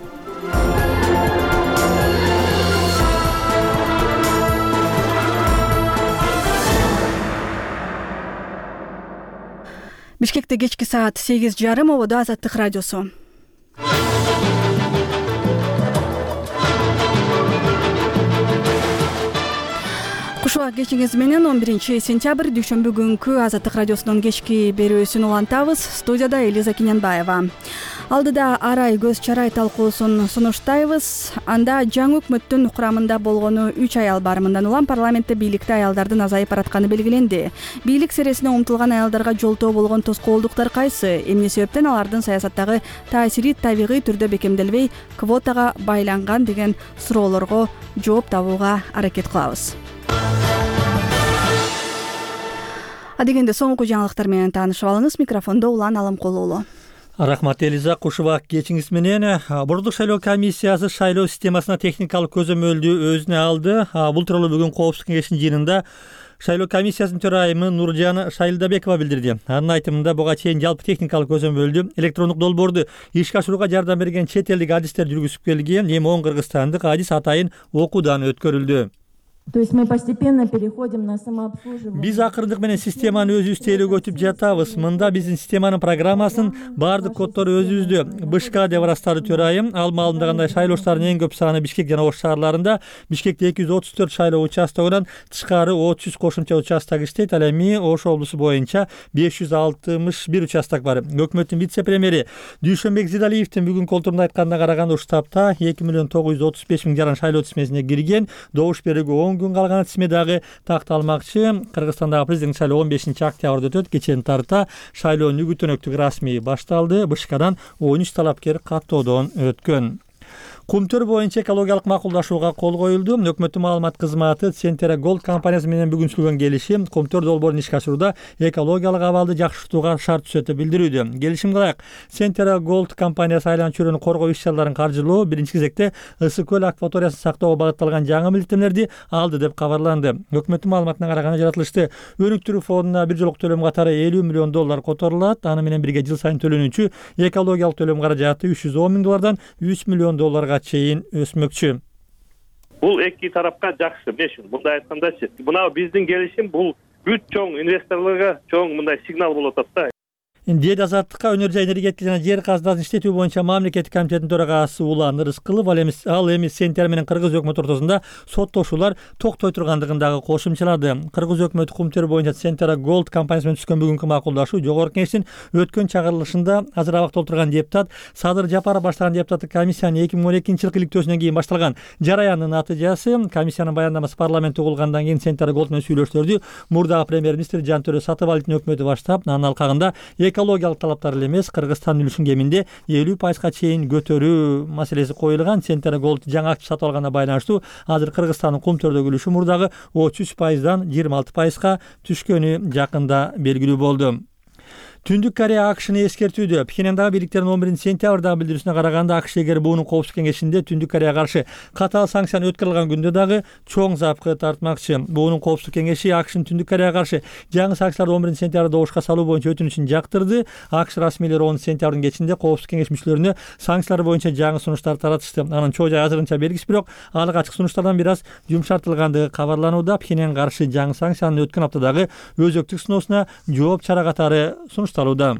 Бишкекте кечки саат 8:30, ободо Азаттык радиосу. Кушуак кечиңиз менен 11 сентябрь дүйшөмбү күнкү Азаттык радиосунун кечки берүүсүн улантабыз. Студияда Элиза Киненбаева. Алдыда арай көз чарай талкуусун сунуштайбыз. Анда жаңы өкмөттүн курамында болгону 3 аял бар. Мындан улам парламентте бийликте аялдардын азайып баратканы белгиленди. Бийлик сересине умтулган аялдарга жолтоо болгон тоскоолдуктар кайсы? Эмне себептен алардын саясаттагы таасири табигый түрдө бекемделбей, квотага байланган деген суроолорго жооп табууга аракет кылабыз. Адегенде соңку жаңылыктар менен таанышып алыңыз. Микрофондо Улан Алымкулуу. Рахмат Элиза, кушубак кечиңиз менен. Бордук шайлоо комиссиясы шайлоо системасына техникалык көзөмөлдү өзүнө алды. Бул тууралуу бүгүн Коопсуздук кеңешинин жыйынында шайлоо комиссиясынын төрайымы Нуржан Шайлдабекова билдирди. Анын айтымында буга чейин жалпы техникалык көзөмөлдү электрондук долбоорду ишке ашырууга жардам берген чет элдик адистер жүргүзүп келген. Эми 10 кыргызстандык адис атайын окуудан өткөрүлдү. То есть мы постепенно переходим на самообслуживание. Биз акырындык менен системаны өзүбүз тейлөөгө өтүп жатабыз. Мында биздин системанын программасынын баардык коддору өзүбүздө. БШК деп ырастады төрайым. Ал маалында кандай шайлоочулардын эң көп саны Бишкек жана Ош шаарларында. Бишкекте 234 шайлоо участогунан тышкары 300 кошумча участок иштейт. Ал эми Ош облусу боюнча 561 участок бар. Өкмөттүн вице-премьери Дүйшөнбек Зидалиевдин бүгүнкү олтурумда айтканына караганда ушу таапта 2.935.000 жаран шайлоо тизмесине кирген. Добуш берүүгө күн калган тизме дагы такталмакчы. Кыргызстандагы президент шайлоо 15 октябрда өтөт. Кечээни тарта шайлоонун үгүт-өнөктүк расмий башталды. БШКдан 13 талапкер каттоодон өткөн. Кумтөр боюнча экологиялык макулдашууга кол коюлду. Өкмөттүн маалымат кызматы Центера Голд компаниясы менен бүгүн түзүлгөн келишим Кумтөр долбоорун ишке ашырууда экологиялык абалды жакшыртууга шарт түзөтүп билдирүүдө. Келишимге ылайык Центера Голд компаниясы айланма чөйрөнү коргоо иш-чараларын каржылоо, биринчи кезекте Ысык көл акваториясын сактоого багытталган жаңы милдеттенмелерди алды деп кабарланды. Өкмөттүн маалыматына караганда жаратылышты өнүктүрүү фондуна бир жолку төлөм катары $50 миллион которулат. Аны менен бирге жыл сайын төлөнүүчү экологиялык төлөм каражаты $310 миң $100 миллион чейин өсмөкчү. Бул эки тарапка жакшы. Мындай айткандачы, мына биздин келишим бул бүт чоң инвесторлорго чоң мындай сигнал болуп атат да. Дээд Азаттыкка өнөр жай энергетика жана жер казынасын иштетүү боюнча мамлекеттик комитеттин төрагасы Улан Рыскылов ал эми Центер менен Кыргыз өкмөтү ортосунда соттошуулар токтой тургандыгын дагы кошумчалады. Кыргыз өкмөтү Кумтөр боюнча Центера Голд компаниясы менен түзгөн бүгүнкү макулдашуу жогорку кеңештин өткөн чыгарылышында азыр абакта отурган депутат Садыр Жапаров баштаган депутаттык комиссиянын 2012-жылкы иликтөөсүнөн кийин башталган жараяндын натыйжасы. Комиссиянын баяндамасы парламентте угулгандан кийин Центера Голд менен сүйлөшүүлөрдү мурдагы премьер-министр Жантөрө Сатыбалдиевдин өкмөтү баштап, анын алкагында экологиялык талаптар эле эмес, Кыргызстандын үлүшүн кеминде 50% чейин көтөрүү маселеси коюлган. Центер Голд жаңы актив сатып алганына байланыштуу азыр Кыргызстандын Кумтөрдөгү үлүшү мурдагы 33%дан 26%га түшкөнү жакында белгилүү болду. Түндүк Корея АКШны эскертүүдө. Пхеньяндагы бийликтердин 11 сентябрдагы билдирүүсүнө караганда АКШ эгер буунун Коопсуздук кеңешинде Түндүк Кореяга каршы катаал санкцияны өткөрүлгөн күндө дагы чоң запкы тартмакчы. Буунун Коопсуздук кеңеши АКШнын Түндүк Кореяга каршы жаңы санкцияларды 11 сентябрда ошко салуу боюнча өтүнүчүн жактырды. АКШ расмийлери 10 сентябрдын кечинде Коопсуздук кеңеш мүчөлөрүнө санкциялар боюнча жаңы сунуштар таратышты. Анын чоо жайы азырынча белгисиз, бирок алык ачык сунуштардан бир аз жумшартылгандыгы кабарланууда. Пхеньянга каршы жаңы санкциянын өткөн аптадагы өзөктүк сыноосуна жооп чара катары сунушталууда.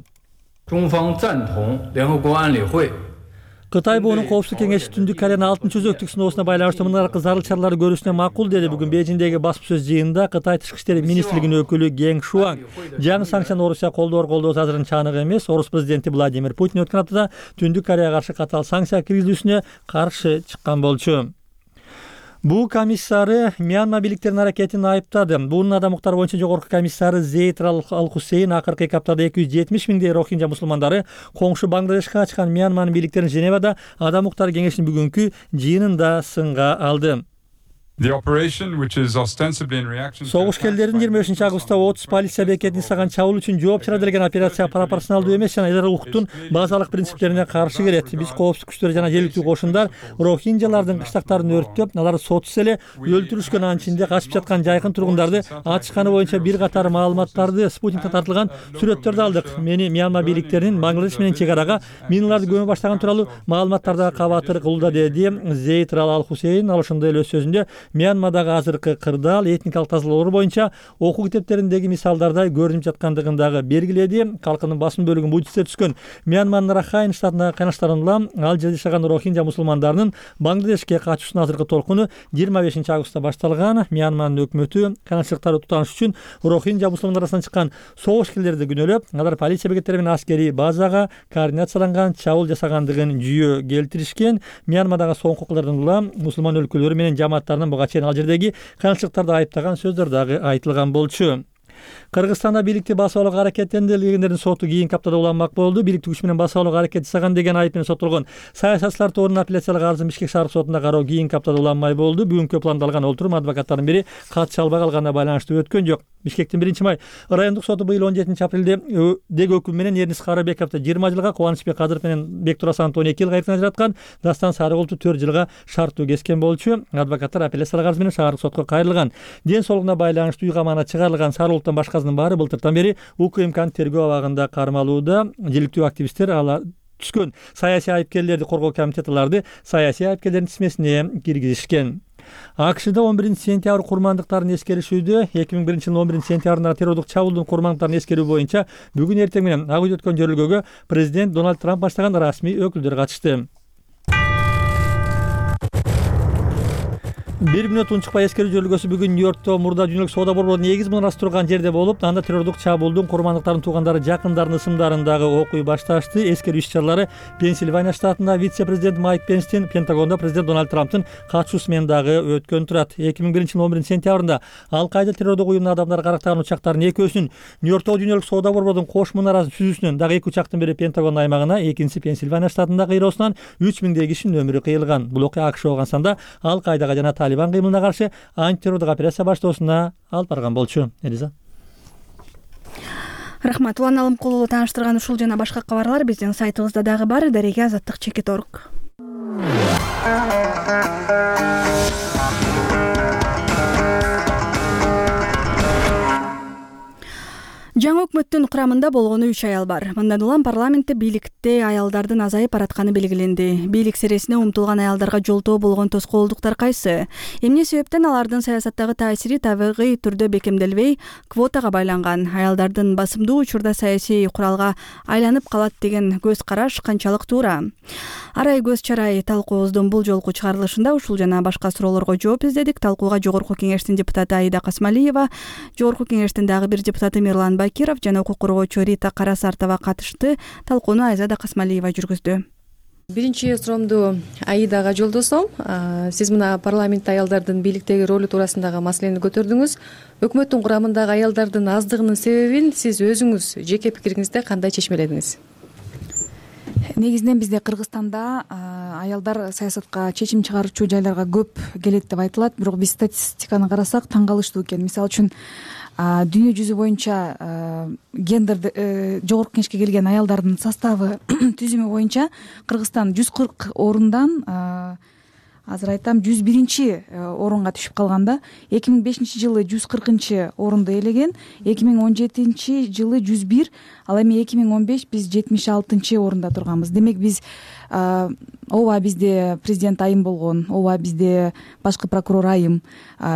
Кытай буунун Коопсуздук кеңеши Түндүк Кореянын 6-өзөктүк сыноосуна байланыштуу мындай зарыл чараларды көрүүсүнө макул деди. Бүгүн Бейжиңдеги басма сөз жыйынында Кытай Тышкы иштер министрлигинин өкүлү Гeng Шуан жаңы санкцияны Орусия колдоосу азырынча анык эмес. Орус президенти Владимир Путин өткөн аптада Түндүк Кореяга каршы катаал санкция киргизүүсүнө каршы чыккан болчу. БУ комиссары Мьянма бийликтеринин аракетин айыптады. БУнун адам укуктары боюнча жогорку комиссары Зейд Ал-Хусейн акыркы 2 аптада 270 миңдей рохинжа мусулмандары коңшу Бангладешке качкан Мьянманын бийликтерин Женевада адам укуктары кеңешинин бүгүнкү жыйынында сынга алды. Согуш келдерин 25 августта 30 полиция бекетин саган чабуул үчүн жооп чыгара деген операция пропорционалдуу эмес жана эдер укуктун базалык принциптерине каршы келет. Биз коопсуздук күчтөрү жана жергиликтүү кошундар рохинжалардын кыштактарын өрттөп, аларды сотсуз эле өлтүрүшкөн, анын ичинде качып жаткан жайкын тургундарды ачышканы боюнча бир катар маалыматтарды спутникте тартылган сүрөттөрдү алдык. Мени Мьянма бийликтеринин Бангладеш менен чек арага миналарды көмө баштаган тууралуу маалыматтарда кабатыр кылууда, деди Зейд Ал-Хусейн. Ал ошондой эле өз сөзүндө Мьянмадагы азыркы кырдаал этникалык тазалоолор боюнча окуу китептериндеги мисалдардай көрүнүп жаткандыгын белгиледи. Калкынын басым бөлүгүн буддисттер түзгөн Мьянманын Рахайн штатындагы кайнаштарын улам ал жерде жашаган рохинжа мусулмандарынын Бангладешке качуусунун азыркы толкуну 25 августта башталган. Мьянманын өкмөтү кайнашчылыктарды тутаныш үчүн рохинжа мусулмандар арасынан чыккан согушкерлерди күнөөлөп, алар полиция бекеттери менен аскерий базага координацияланган чабуул жасагандыгын жүйө келтиришкен. Мьянмадагы соңку окуялардан улам мусулман өлкөлөрү менен жамааттарынын буга чейин ал жердеги кайнашчылыктарды айыптаган сөздөр дагы айтылган болчу. Кыргызстанда бийликти басып алууга аракеттендиргендердин соту кийинки аптада уланмак болду. Бийликти күч менен басып алууга аракет жасаган деген айып менен соттолгон саясатчылар тобунун апелляциялык арызын Бишкек шаардык сотунда кароо кийинки аптада уланмай болду. Бүгүнкү пландалган олтурум адвокаттардын бири кат чалбай калганына байланыштуу өткөн жок. Бишкектин 1-май райондук соту быйыл 17 апрелде деги өкүм менен Эрнис Карабековду 20 жылга, Кубанычбек Кадыров менен Бектурасановду 12 жылга эркин ажыраткан, Дастан Сарыгулду 4 жылга шарттуу кескен болчу. Адвокаттар апелляциялык арыз менен шаардык сотко кайрылган. Ден соолугуна байланыштуу үй камагына чыгарылган Сарыгулдун башкасынын баары былтыртан бери УКМКнын тергөө абагында кармалууда. Жергиликтүү активисттер алар түшкөн саясий айыпкерлерди коргоо комитети аларды саясий айыпкерлердин тизмесине киргизишкен. АКШда 11-сентябрь курмандыктарын эскеришүүдө 2001-жылдын 11-сентябрындагы террордук чабуулдун курмандыктарын эскерүү боюнча бүгүн эртең менен Ак үйдө өткөн жөрөлгөгө президент Дональд Трамп баштаган расмий өкүлдөр катышты. 1 мүнөт унчукпай эскерүү жөрөлгөсү бүгүн Нью-Йоркто мурда дүйнөлүк соода борборунун негиз мунарасы турган жерде болуп, анда террордук чабуулдун курмандыктарын туугандары жакындарынын ысымдарындагы окуй башташты. Эскерүү иш-чаралары Пенсильвания штатында вице-президент Майк Пенстин, Пентагондо президент Дональд Трамптын катышуусу менен дагы өткөн турат. 2001-жылдын 11-сентябрында Ал-Кайда террордук уюмуна адамдар карактаган учактардын экөөсүнүн Нью-Йорктогу дүйнөлүк соода борборунун кош мунарасын түзүүсүнөн дагы 2 учактын бири Пентагон аймагына, экинчиси Пенсильвания штатында кыйроосунан 3000 кишинин өмүрү кыйылган. Бул окуя АКШ болгон санда Ал-Кайдага жана Талибан кыймылына каршы антитеррордук операция баштоосуна алып барган болчу. Элиза. Рахмат. Улан Алымкулуу тааныштырган ушул жана башка кабарлар биздин сайтыбызда дагы бар. Дареге Азаттык.org. Жаңы өкмөттүн курамында болгону 3 аял бар. Мындан улам парламентте бийликте аялдардын азайып баратканы белгиленди. Бийлик сересине умтулган аялдарга жолтоо болгон тоскоолдуктар кайсы? Эмне себептен алардын саясаттагы таасири табигый түрдө бекемделбей, квотага байланган? Аялдардын басымдуу учурда саясий куралга айланып калат деген көз караш канчалык туура? Арай көз чарай талкуубуздун бул жолку чыгарылышында ушул жана башка суроолорго жооп издедик. Талкууга Жогорку кеңештин депутаты Аида Касмалиева, Жогорку кеңештин дагы бир депутаты Мирлан Бакиров жана укук коргоочу Рита Карасартова катышты. Талкууну Айзада Касмалиева жүргүздү. Биринчи суроомду Аидага жолдосом. Сиз мына парламентте аялдардын бийликтеги ролу туурасындагы маселени көтөрдүңүз. Өкмөттүн курамындагы аялдардын аздыгынын себебин сиз өзүңүз жеке пикириңизде кандай чечмеледиңиз? Негизинен бизде Кыргызстанда аялдар саясатка чечим чыгаруучу жайларга көп келет деп айтылат, бирок биз статистиканы карасак таң калыштуу экен. Мисалы үчүн дүйнө жүзү боюнча гендер жогорку кеңешке келген аялдардын составы түзүмү боюнча Кыргызстан 140 орундан азыр айтам 101 орунга түшүп калганда. 2005 жылы 140 орунду ээлеген, 2017 жылы 101, ал эми 2015 биз 76 орунда турганбыз. Демек биз ооба бизде президент айым болгон, ооба бизде башкы прокурор айым,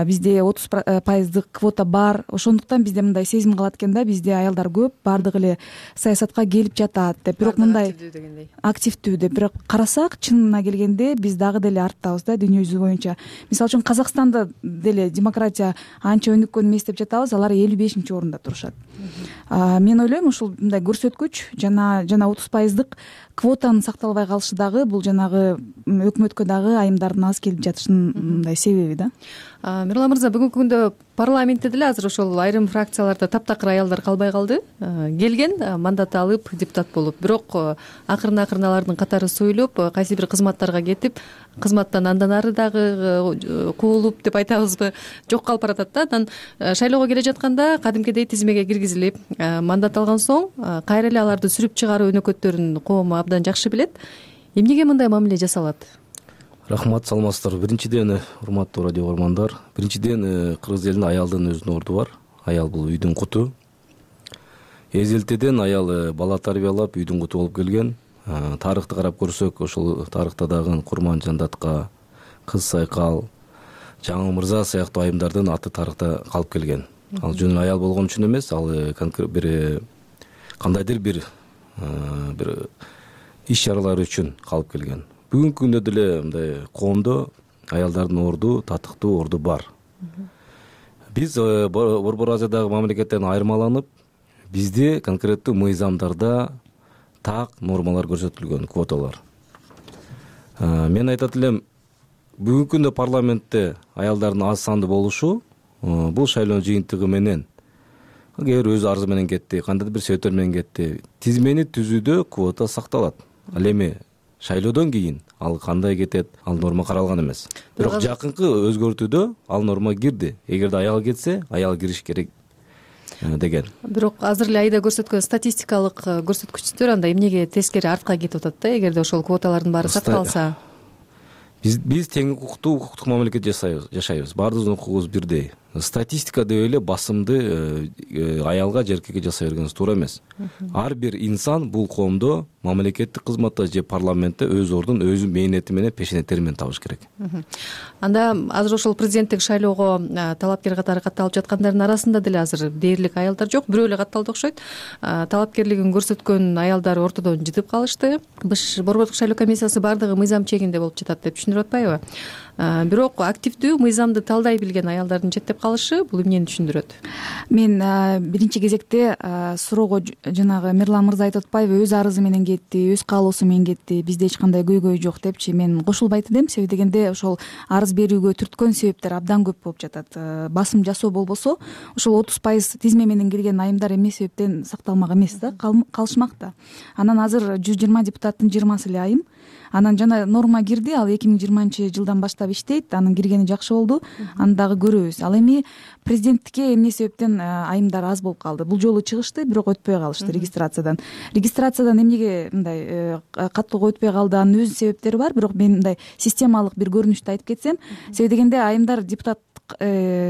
бизде 30% квота бар. Ошондуктан бизде мындай сезим калат экен да, бизде аялдар көп, бардыгы эле саясатка келип жатат деп. Бирок мындай активдүү деп, бирок карасак чынына келгенде биз дагы деле арттабыз. жатабыз да дүйнө жүзү боюнча. Мисалы үчүн Казакстанда деле демократия анча өнүккөн эмес деп жатабыз, алар 55-чи орунда турушат. Мен ойлойм ушул мындай көрсөткүч жана 30% квотанын сакталбай калышы дагы бул жанагы өкмөткө дагы айымдардын аз келип жатышынын мындай себеби да. Мирлан мырза, бүгүнкү күндө парламентте деле азыр ошол айрым фракцияларда таптакыр аялдар калбай калды. Келген, мандат алып, депутат болуп, бирок акырын алардын катары союлуп, кайсы бир кызматтарга кетип, кызматтан андан ары дагы куулуп деп айтабызбы, жок калып баратат да. Анан шайлоого келе жатканда кадимкидей тизмеге киргизилип, мандат алган соң кайра эле аларды сүрүп чыгаруу өнөкөттөрүн коом абдан жакшы билет. Эмнеге мындай мамиле жасалат? Рахмат, саламатсыздарбы. Биринчиден, урматтуу радио көрөрмандар, биринчиден кыргыз элинде аялдын өзүнүн орду бар. Аял бул үйдүн куту. Эзелтеден аял бала тарбиялап үйдүн куту болуп келген. Тарыхты карап көрсөк, ошол тарыхта дагы Курман Жандатка, Кыз Сайкал, Жаңы Мырза сыяктуу айымдардын аты тарыхта калып келген. Ал жөн аял болгон үчүн эмес, ал бир кандайдыр бир иш-чаралар үчүн калып келген. Бүгүнкү күндө деле мындай коомдо аялдардын орду, татыктуу орду бар. Биз Борбор Азиядагы мамлекеттерден айырмаланып, бизде конкреттүү мыйзамдарда так нормалар көрсөтүлгөн, квоталар. Мен айтат элем, бүгүнкү күндө парламентте аялдардын аз сандуу болушу бул шайлоо жыйынтыгы менен, кээ бир өз арзы менен кетти, кандайдыр бир себептер менен кетти, тизмени түзүүдө квота сакталат. Ал эми шайлоодон кийин ал кандай кетет, ал норма каралган эмес. Бирок жакынкы өзгөртүүдө ал норма кирди. Эгерде аял кетсе, аял кириш керек деген. Бирок азыр эле айда көрсөткөн статистикалык көрсөткүчтөр анда эмнеге тескери артка кетип атат да, эгерде ошол квоталардын баары сакталса? Биз тең укуктук мамлекет жашайбыз. Баардыгыбыздын укугубуз бирдей. Статистика деп эле басымды аялга же эркекке жасай бергенибиз туура эмес. Ар бир инсан бул коомдо мамлекеттик кызматта же парламентте өз ордун өзү мээнети менен, пешенеттери менен табыш керек. Анда азыр ошол президенттик шайлоого талапкер катары катталып жаткандардын арасында деле азыр дээрлик аялдар жок, бирөө эле катталды окшойт. Талапкерлигин көрсөткөн аялдар ортодон жытып калышты. Борбордук шайлоо комиссиясы баардыгы мыйзам чегинде болуп жатат деп түшүндүрүп атпайбы? Бирок активдүү мыйзамды талдай билген аялдардын четтеп калышы бул эмнени түшүндүрөт? Мен биринчи кезекте суроого жанагы Мирлан мырза айтып атпайбы, өз арызы менен кетти, өз каалоосу менен кетти, бизде эч кандай көйгөй жок депчи, мен кошулбайт элем. Себеби дегенде ошол арыз берүүгө түрткөн себептер абдан көп болуп жатат. Басым жасоо болбосо, ошол 30% тизме менен кирген айымдар эмне себептен сакталмак эмес да, калышмак да. Анан азыр 120 депутаттын 20сы эле айым. Анан жана норма кирди, ал 2020-жылдан баштап иштейт, анын киргени жакшы болду, аны дагы көрөбүз. Ал эми президенттикке эмне себептен айымдар аз болуп калды? Бул жолу чыгышты, бирок өтпөй калышты регистрациядан. Регистрациядан эмнеге мындай каттоого өтпөй калды? Анын өз себептери бар, бирок мен мындай системалык бир көрүнүштү айтып кетсем, себеби дегенде айымдар депутаттык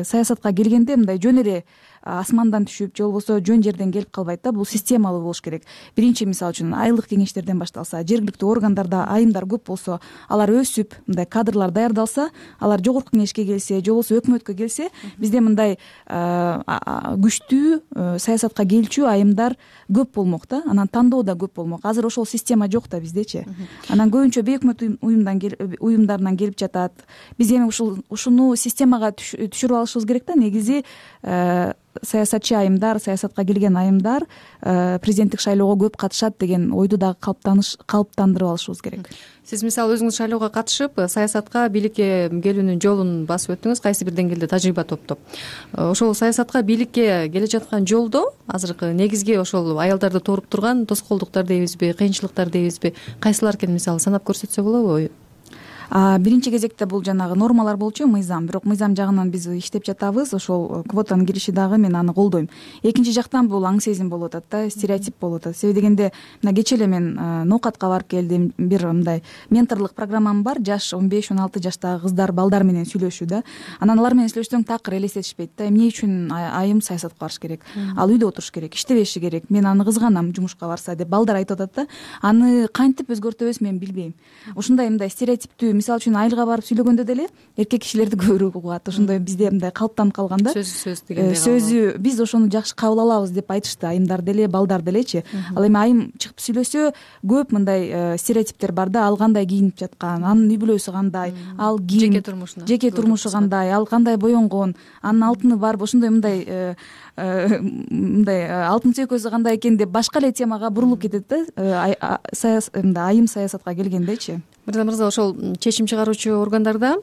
саясатка келгенде мындай жөн эле асмандан түшүп, же болбосо жөн жерден келип калбайт да, бул системалуу болуш керек. Биринчи, мисалы үчүн, айылдык кеңештерден башталса, жергиликтүү органдарда айымдар көп болсо, алар өсүп, мындай кадрлар даярдалса, алар жогорку кеңешке келсе, же болбосо өкмөткө келсе, бизде мындай күчтүү саясатка келчү айымдар көп болмок да, анан тандоо да көп болмок. Азыр ошол система жок да биздечи. Анан көбүнчө бейөкмөт уюмдардан келип жатат. Биз эми ушуну системага түшүрүп алышыбыз керек да, негизи саясатчы айымдар, саясатка келген айымдар президенттик шайлоого көп катышат деген ойду дагы калыптандырып алышыбыз керек. Сиз мисалы өзүңүз шайлоого катышып, саясатка, бийликке келүүнүн жолун басып өттүңүз, кайсы бир деңгээлде тажрыйба топтоп. Ошол саясатка, бийликке келе жаткан жолдо азыркы негизги ошол аялдарды тооруп турган тоскоолдуктар дейбизби, кыйынчылыктар дейбизби, кайсылар экенин мисалы санап көрсөтсө болобу? Биринчи кезекте бул жанагы нормалар болчу, мыйзам. Бирок мыйзам жагынан биз иштеп жатабыз. Ошол квотанын кириши дагы мен аны колдойм. Экинчи жактан бул аң сезим болуп атат да, стереотип болуп атат. Себеби дегенде мына кечээ эле мен ноокатка барып келдим. Бир мындай менторлук программам бар. Жаш 15-16 жаштагы кыздар, балдар менен сүйлөшүү да. Анан алар менен сүйлөшсөң такыр элестетишпейт да. Эмне үчүн айым саясатка барыш керек? Ал үйдө отуруш керек, иштебеши керек. Мен аны кызганам жумушка барса деп балдар айтып атат да. Аны кантип өзгөртөбүз мен билбейм. Ушундай мындай стереотиптүү мисалы үчүн айылга барып сүйлөгөндө деле эркек кишилерди көбүрөөк угат. Ошондой бизде мындай калыптанып калган да. Сөз дегендей. Сөзү биз ошону жакшы кабыл алабыз деп айтышты айымдар деле, балдар делечи. Ал эми айым чыгып сүйлөсө көп мындай стереотиптер бар да. Ал кандай кийинип жаткан, анын үй бүлөсү кандай, ал ким, жеке турмушу кандай, ал кандай боенгон, анын алтыны барбы, ошондой мындай алтын сөйкөсү кандай экен деп башка эле темага бурулуп кетет да. Айым саясатка келгендечи. Мырза мырза, ошол чечим чыгаруучу органдарда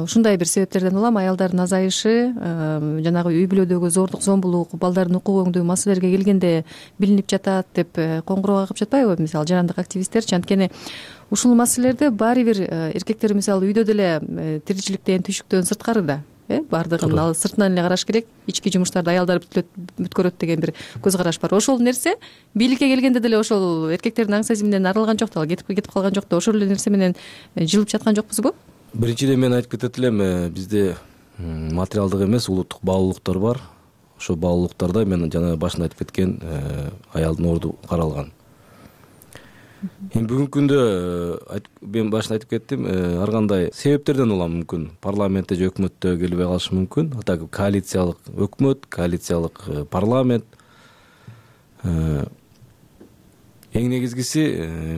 ушундай бир себептерден улам аялдардын азайышы, жанагы үй бүлөдөгү зордук, зомбулук, балдардын укук өңдүү маселелерге келгенде билинип жатат деп коңгуроо кагып жатпайбы, мисалы жарандык активисттерчи? Анткени ушул маселелерде баары бир эркектер мисалы үйдө деле тиричиликтен, түйшүктөн сырткары да. Баардыгын ал сыртынан эле караш керек, ички жумуштарды аялдар бүткөрөт деген бир көз караш бар. Ошол нерсе бийликке келгенде деле ошол эркектердин аң сезиминен арылган жок да, кетип калган жок да, ошол эле нерсе менен жылып жаткан жокпузбу? Биринчиден мен айтып кетет элем, бизде материалдык эмес, улуттук баалуулуктар бар. Ошол баалуулуктарда мен жана башында айтып кеткен аялдын орду каралган. Эми бүгүнкү күндө мен башында айтып кеттим, ар кандай себептерден улам мүмкүн парламентте же өкмөттө келбей калышы мүмкүн. Атак коалициялык өкмөт, коалициялык парламент. Эң негизгиси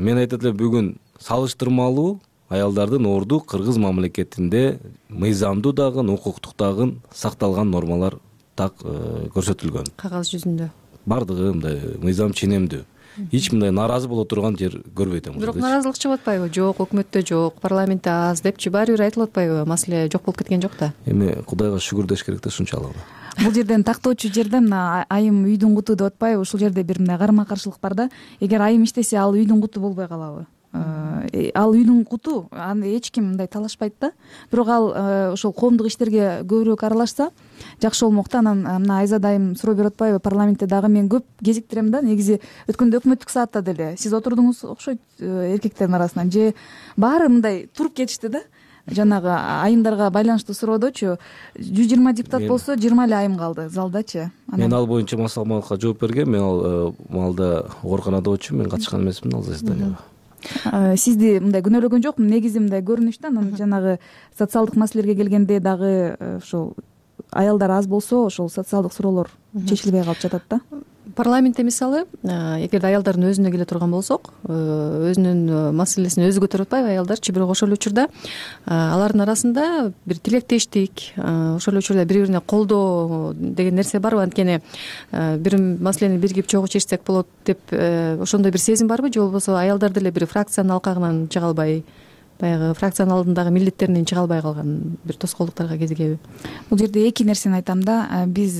мен айтат элем, бүгүн салыштырмалуу аялдардын орду кыргыз мамлекетинде мыйзамдуу дагы, укуктук дагы сакталган нормалар так көрсөтүлгөн. Кагаз жүзүндө бардыгы мындай мыйзам ченемдүү. Эч мындай нааразы боло турган жер көрбөйт. Бирок нааразылык чыгып атпайбы? Жок, өкмөттө жок, парламентте аз депчи баары бир айтылып атпайбы? Маселе жок болуп кеткен жок да. Эми Кудайга шүгүр деш керек да, ушунчалык. Бул жерден тактоочу жерде мына айым үйдүн куту деп атпайбы? Ушул жерде бир мындай карама каршылык бар да. Эгер айым иштесе, ал үйдүн куту болбой калабы? Ал үйдүн куту, аны эч ким мындай талашпайт да. Бирок ал ошол коомдук иштерге көбүрөөк аралашса жакшы болмок да. Анан мына Айзада айым суроо берип атпайбы? Парламентте дагы мен көп кезиктирем да. Негизи өткөндө өкмөттүк саатта деле сиз отурдуңуз окшойт эркектердин арасынан, же баары мындай туруп кетишти да. Жанагы айымдарга байланыштуу суроодочу 120 депутат болсо 20 эле айым калды залдачы. Мен ал боюнча маалыматка жооп бергем. Мен ал маалда ооруканадачу, мен катышкан эмесмин ал заседанияга. Сизди мындай күнөөлөгөн жокмун. Негизи мындай көрүнүш да. Анан жанагы социалдык маселелерге келгенде дагы ошол аялдар аз болсо ошол социалдык суроолор чечилбей калып жатат да. Парламентте мисалы, эгерде аялдардын өзүнө келе турган болсок, өзүнүн маселесин өзү көтөрүп атпайбы аялдарчы? Бирок ошол эле учурда алардын арасында бир тилектештик, ошол эле учурда бири бирине колдоо деген нерсе барбы? Анткени бир маселени биригип чогуу чечсек болот деп ошондой бир сезим барбы? Же болбосо аялдар деле бир фракциянын алкагынан чыга албай, баягы фракциянын алдындагы милдеттеринен чыга албай калган бир тоскоолдуктарга кезигеби? Бул жерде эки нерсени айтам да. Биз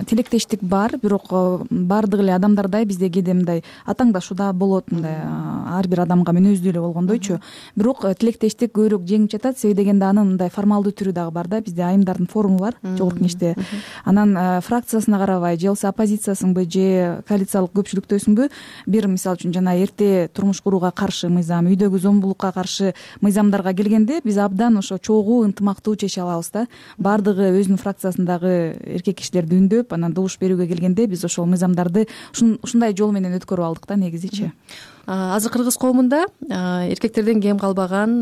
тилектештик бар, бирок баардык эле адамдардай бизде кээде мындай атаңдашуу да болот, мындай ар бир адамга мүнөздүү эле болгондойчу. Бирок тилектештик көбүрөөк жеңип жатат. Себеби дегенде анын мындай формалдуу түрү дагы бар да. Бизде айымдардын форуму бар жогорку кеңеште. Анан фракциясына карабай, же болбосо оппозициясыңбы, же коалициялык көпчүлүктөсүңбү, бир мисалы үчүн жана эрте турмуш курууга каршы мыйзам, үйдөгү зомбулукка каршы мыйзамдарга келгенде биз абдан ошо чогуу, ынтымактуу чече алабыз да. Баардыгы өзүнүн фракциясындагы эркек кишилерди үндөп, анан добуш берүүгө келгенде биз ошол мыйзамдарды ушундай жол менен өткөрүп алдык да негизичи. Азыр кыргыз коомунда эркектерден кем калбаган,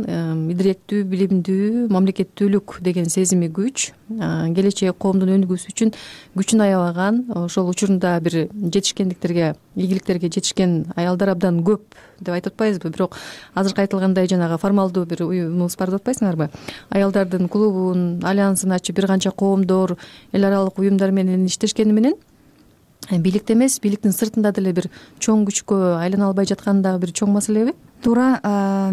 идиректүү, билимдүү, мамлекеттүүлүк деген сезими күч, келечек коомдун өнүгүүсү үчүн күчүн аябаган, ошол учурунда бир жетишкендиктерге, ийгиликтерге жетишкен аялдар абдан көп деп айтып атпайбызбы? Бирок азыркы айтылгандай жанагы формалдуу бир уюмубуз бар деп атпайсыңарбы? Аялдардын клубун, альянсын ачып бир канча коомдор, эл аралык уюмдар менен иштешкени менен бийликте эмес, бийликтин сыртында деле бир чоң күчкө айлана албай жатканы дагы бир чоң маселеби? Туура.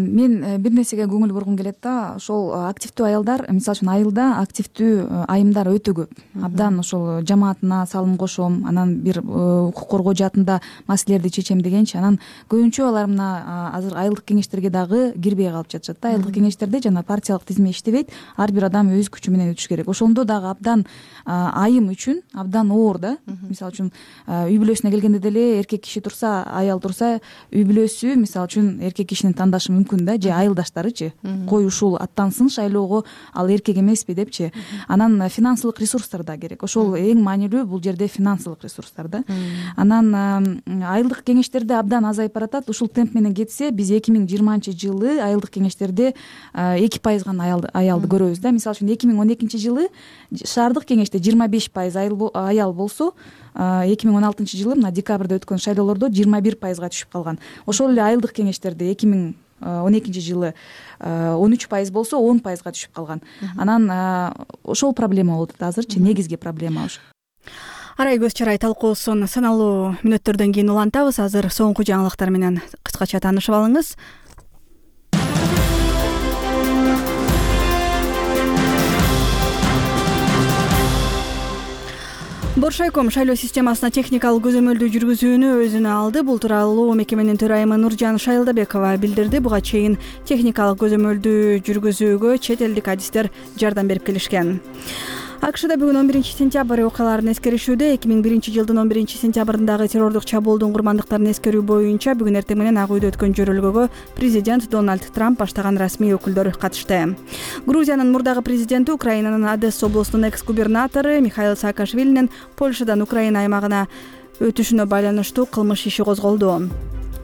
Мен бир нерсеге көңүл бургум келет да. Ошол активдүү аялдар, мисалы үчүн айылда активдүү айымдар өтө көп. Абдан ошол жамаатына салым кошом, анан бир укук коргоо жаатында маселелерди чечем дегенчи. Анан көбүнчө алар мына азыр айылдык кеңештерге дагы кирбей калып жатышат да. Айылдык кеңештерде жана партиялык тизме иштебейт. Ар бир адам өз күчү менен өтүш керек. Ошондо дагы абдан айым үчүн абдан оор да. Мисалы үчүн үй бүлөсүнө келгенде деле эркек киши турса, аял турса, үй бүлөсү мисалы үчүн эркек кишини тандашы мүмкүн да, же айылдаштарычы. Кой ушул аттансын шайлоого, ал эркек эмеспи депчи. Анан финансылык ресурстар да керек. Ошол эң маанилүү бул жерде финансылык ресурстар да. Анан айылдык кеңештерде абдан азайып баратат. Ушул темп менен кетсе биз 2020-жылы айылдык кеңештерде 2% гана аялды көрөбүз да. Мисалы үчүн 2012-жылы шаардык кеңеште 25% аял болсо, 2016-жылы мына декабрда өткөн шайлоолордо 21%га түшүп калган. Ошол эле айылдык кеңештерде 2012-жылы 13% болсо 10%га түшүп калган. Анан ошол проблема болуп атат азырчы, негизги проблема ошо. Арай көз чарай талкуусун саналуу мүнөттөрдөн кийин улантабыз. Азыр соңку жаңылыктар менен кыскача таанышып алыңыз. Боршайком шайлоо системасына техникалык көзөмөлдүү жүргүзүүнү өзүнө алды. Бул тууралуу мекеменин төрайымы Нуржан Шайылдабекова билдирди. Буга чейин техникалык көзөмөлдүү жүргүзүүгө чет элдик адистер жардам берип келишкен. АКШда бүгүн 11-сентябрь окуяларын эскеришүүдө 2001-жылдын 11-сентябрындагы террордук чабуулдун курмандыктарын эскерүү боюнча бүгүн эртең менен Ак үйдө өткөн жөрөлгөгө президент Дональд Трамп баштаган расмий өкүлдөр катышты. Грузиянын мурдагы президенти, Украинанын Одесса облусунун экс-губернатору Михаил Саакашвилинин Польшадан Украина аймагына өтүшүнө байланыштуу кылмыш иши козголду.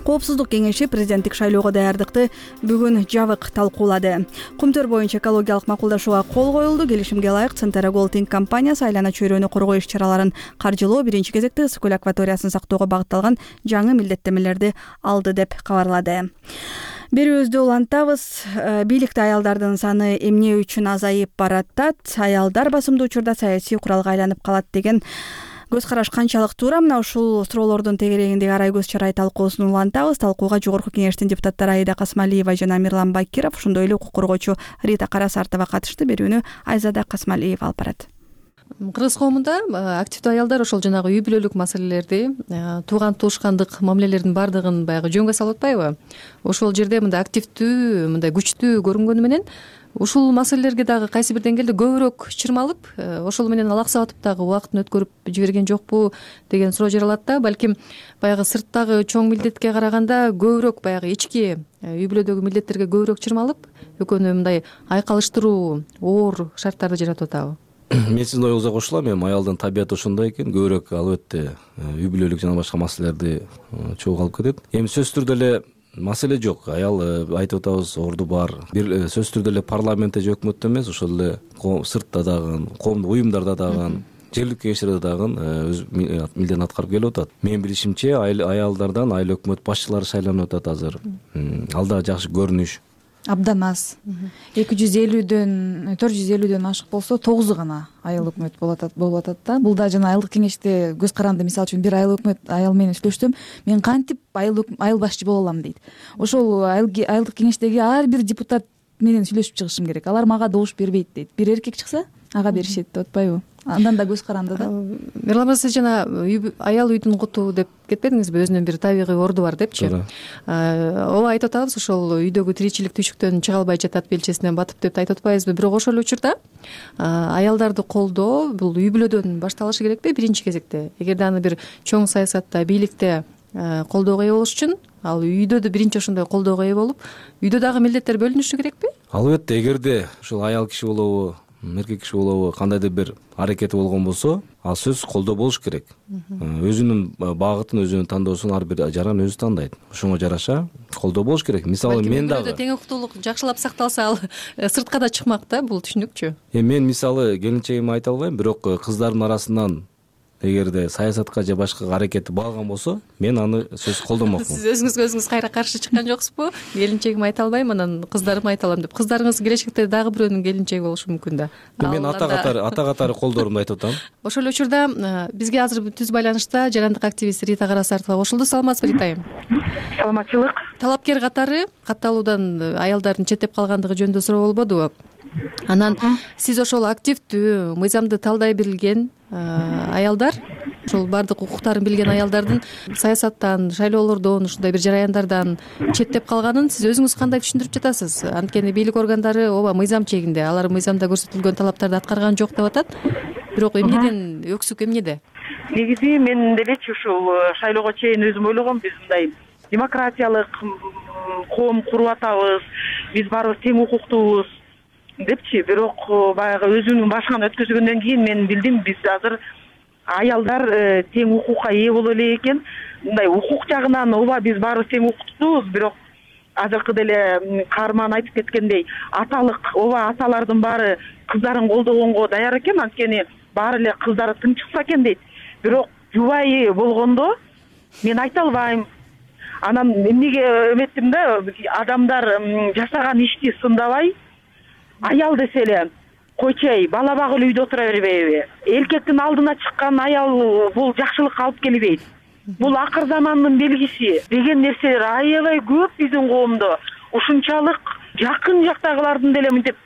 Коопсуздук кеңеши президенттик шайлоого даярдыкты бүгүн жабык талкуулады. Кумтөр боюнча экологиялык макулдашууга кол коюлду. Келишимге ылайык Центара Голдинг компаниясы айлана чөйрөнү коргоо иш-чараларын каржылоо, биринчи кезекте ысык көл акваториясын сактоого багытталган жаңы милдеттемелерди алды деп кабарлады. Берүүбүздү улантабыз. Бийликте аялдардын саны эмне үчүн азайып баратат? Аялдар басымдуу учурда саясий куралга айланып калат деген көз караш канчалык туура? Мына ушул суроолордун тегерегиндеги Арай көз чарай талкуусун улантабыз. Талкууга Жогорку кеңештин депутаттары Аида Касмалиева жана Мирлан Бакиров, ошондой эле укук коргоочу Рита Карасартова катышты. Берүүнү Айзада Касмалиева алып барат. Кыргыз коомунда активдүү аялдар ошол жанагы үй бүлөлүк маселелерди, тууган туушкандык мамилелердин баардыгын баягы жөнгө салып атпайбы? Ошол жерде мындай активдүү, мындай күчтүү көрүнгөнү менен ушул маселелерге дагы кайсы бир деңгээлде көбүрөөк чырмалып, ошол менен алаксатып дагы убактын өткөрүп жиберген жокпу деген суроо жаралат да. Балким баягы сырттагы чоң милдетке караганда көбүрөөк баягы ички үй бүлөдөгү милдеттерге көбүрөөк чырмалып, экөөнү мындай айкалыштыруу, оор шарттарды жаратып атабы? Мен сиздин оюңузга кошулам. Эми аялдын табияты ошондой экен, көбүрөөк албетте үй бүлөлүк жана башка маселелерди чогуу алып кетет. Эми сөзсүз түрдө эле маселе жок. Аял айтып атабыз, орду бар. Бир сөзсүз түрдө эле парламентте же өкмөттө эмес, ошол эле сыртта дагы, коомдук уюмдарда дагы, жергиликтүү кеңештерде дагы өз милдетин аткарып келип атат. Менин билишимче, аялдардан айыл өкмөт башчылары шайланып атат азыр. Ал да жакшы көрүнүш. Абдан аз. 250дөн 450дөн ашык болсо 9 гана айыл өкмөт болуп атат да. Бул да жана айылдык кеңеште көз каранды. Мисалы үчүн бир айыл өкмөт аял менен сүйлөштүм. Мен кантип айыл башчы боло алам дейт. Ошол айылдык кеңештеги ар бир депутат менен сүйлөшүп чыгышым керек. Алар мага добуш бербейт дейт. Бир эркек чыкса, ага беришет деп атпайбы? Андан да көз каранды да. Мирлан, сиз жана аял үйдүн куту деп кетпедиңизби? Өзүнүн бир табигый орду бар депчи. Ооба, айтып атабыз, ошол үйдөгү тиричилик түйшүктөн чыга албай жатат, белчесинен батып деп айтып атпайбызбы? Бирок ошол эле учурда аялдарды колдоо бул үй бүлөдөн башталышы керекпи биринчи кезекте? Эгерде аны бир чоң саясатта, бийликте колдоого ээ болуш үчүн, ал үйдө да биринчи ошондой колдоого ээ болуп, үйдө дагы милдеттер бөлүнүшү керекпи? Албетте, эгерде ушул аял киши болобу, эркек киши болобу, кандайдыр бир аракети болгон болсо, ал сөзсүз колдоо болуш керек. Өзүнүн багытын, өзүнүн тандоосун ар бир жаран өзү тандайт. Ошого жараша колдоо болуш керек. Мисалы мен дагы тең укуктуулук жакшылап сакталса, ал сыртка да чыкмак да, бул түшүнүкчү. Мен мисалы келинчегиме айта албайм, бирок кыздардын арасынан эгерде саясатка же башка аракети баалган болсо, мен аны сөзсүз колдомокмун. Сиз өзүңүзгө өзүңүз кайра каршы чыккан жоксузбу? Келинчегиме айта албайм, анан кыздарыма айта алам деп. Кыздарыңыз келечекте дагы бирөөнүн келинчеги болушу мүмкүн да. Мен ата катары колдоорумду айтып атам. Ошол эле учурда бизге азыр түз байланышта жарандык активист Рита Карасартова кошулду. Саламатсызбы, Ритайым? Саламатчылык. Талапкер катары катталуудан аялдардын четтеп калгандыгы жөнүндө суроо болбодубу? Анан сиз ошол активдүү, мыйзамды талдай билген аялдар, ошол баардык укуктарын билген аялдардын саясаттан, шайлоолордон, ушундай бир жараяндардан четтеп калганын сиз өзүңүз кандай түшүндүрүп жатасыз? Анткени бийлик органдары ооба мыйзам чегинде, алар мыйзамда көрсөтүлгөн талаптарды аткарган жок деп атат. Бирок эмнеден өксүк, эмнеде? Негизи мен делечи ушул шайлоого чейин өзүм ойлогом, биз мындай демократиялык коом куруп атабыз, биз баарыбыз тең укуктуубуз депчи. Бирок баягы өзүмдүн башыман өткөзгөндөн кийин мен билдим биз азыр аялдар тең укукка ээ боло элек экен. Мындай укук жагынан ооба биз баарыбыз тең укуктуубуз, бирок азыркы деле каарман айтып кеткендей аталык ооба аталардын баары кыздарын колдогонго даяр экен, анткени баары эле кыздары тың чыкса экен дейт. Бирок жубайы болгондо мен айта албайм. Анан эмнеге эметтим да, адамдар жашаган ишти сындабай, аял десе эле койчой бала багып эле үйдө отура бербейби? Эркектин алдына чыккан аял бул жакшылыкка алып келбейт. Бул акыр замандын белгиси деген нерселер аябай көп биздин коомдо. Ушунчалык жакын жактагылардын деле мынтип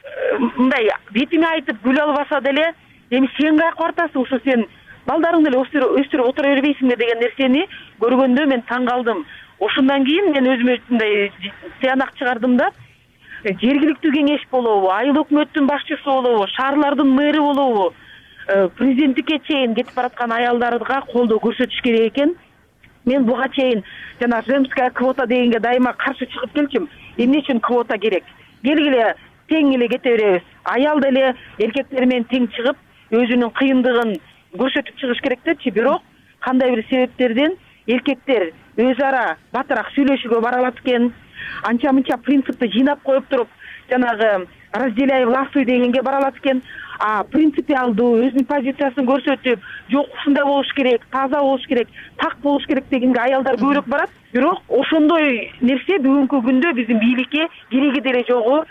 мындай бетиме айтып күлө албаса деле, эми сен каяка бартасың, ушу сен балдарың деле өстүрүп отура бербейсиңби деген нерсени көргөндө мен таң калдым. Ошондон кийин мен өзүмө мындай тыянак чыгардым да, жергиликтүү кеңеш болобу, айыл өкмөттүн башчысы болобу, шаарлардын мэри болобу, президенттикке чейин кетип бараткан аялдарга колдоо көрсөтүш керек экен. Мен буга чейин жана женская квота дегенге дайыма каршы чыгып келчүм. Эмне үчүн квота керек? Келгиле тең эле кете беребиз. Аял деле эркектер менен тең чыгып, өзүнүн кыйындыгын көрсөтүп чыгыш керек депчи. Бирок кандай бир себептерден эркектер өз ара батыраак сүйлөшүүгө бара алат экен. Анча-мынча принципти жыйнап коюп туруп, жанагы разделяй властвуй дегенге бара алат экен. Принципиалдуу өзүнүн позициясын көрсөтүп, жок ушундай болуш керек, таза болуш керек, так болуш керек дегенге аялдар көбүрөөк барат. Бирок ошондой нерсе бүгүнкү күндө биздин бийликке кереги деле жогу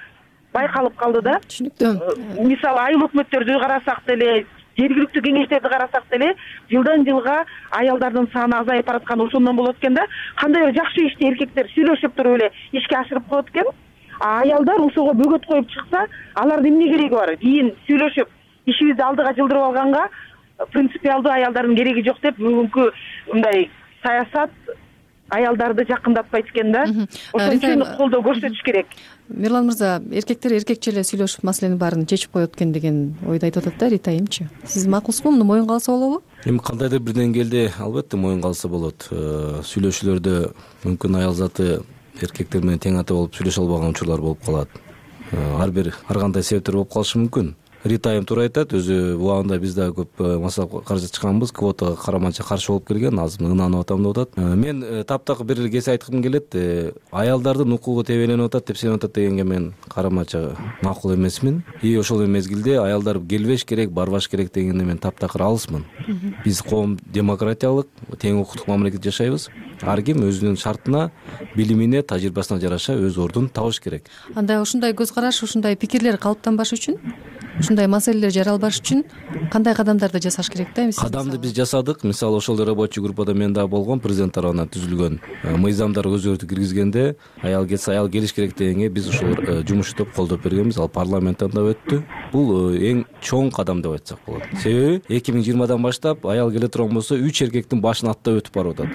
байкалып калды да. Түшүнүктүү. Мисалы айыл өкмөттөрдү карасак деле, жергиликтүү кеңештерди карасак деле, жылдан жылга аялдардын саны азайып баратканы ошондон болот экен да. Кандай бир жакшы ишти эркектер сүйлөшүп туруп эле ишке ашырып коет экен. Аялдар ошого бөгөт коюп чыкса, алардын эмне кереги бар? Кийин сүйлөшүп, ишибизди алдыга жылдырып алганга принципиалдуу аялдардын кереги жок деп бүгүнкү мындай саясат аялдарды жакындатпайт экен да. Ошон үчүн колдоо көрсөтүш керек. Мирлан мырза, эркектер эркекче эле сүйлөшүп маселенин баарын чечип коет экен деген ойду айтып атат да Рита айымчы. Сиз макулсузбу? Муну моюнга алса болобу? Эми кандайдыр бир деңгээлде албетте моюнга алса болот. Сүйлөшүүлөрдө мүмкүн аял заты эркектер менен тең ата болуп сүйлөшө албаган учурлар болуп калат. Ар кандай себептер болуп калышы мүмкүн. Рита айым туура айтат, өзү убагында биз да көп масала каршы чыкканбыз, квотага караманча каршы болуп келген, азыр ынанып атам деп атат. Мен таптакыр бир эле кесе айткым келет, аялдардын укугу тебеленип атат деп сенеп атат дегенге мен караманча макул эмесмин. Ошол мезгилде аялдар келбеш керек, барбаш керек дегенде мен таптакыр алысмын. Биз коом демократиялык, тең укуктук мамлекетте жашайбыз. Ар ким өзүнүн шартына, билимине, тажрыйбасына жараша өз ордун табыш керек. Анда ушундай көз караш, ушундай пикирлер калыптанбаш үчүн, ушундай маселелер жаралбаш үчүн кандай кадамдарды жасаш керек да? Кадамды биз жасадык. Мисалы ошол рабочий группада мен да болгом, президент тарабынан түзүлгөн мыйзамдар өзгөртүү киргизгенде аял кетсе аял келиш керек дегенге биз ошол жумуштоп колдоп бергенбиз. Ал парламенттен да өттү. Бул эң чоң кадам деп айтсак болот. Себеби 2020 баштап аял келе турган болсо 3 эркектин башын аттап өтүп барып атат.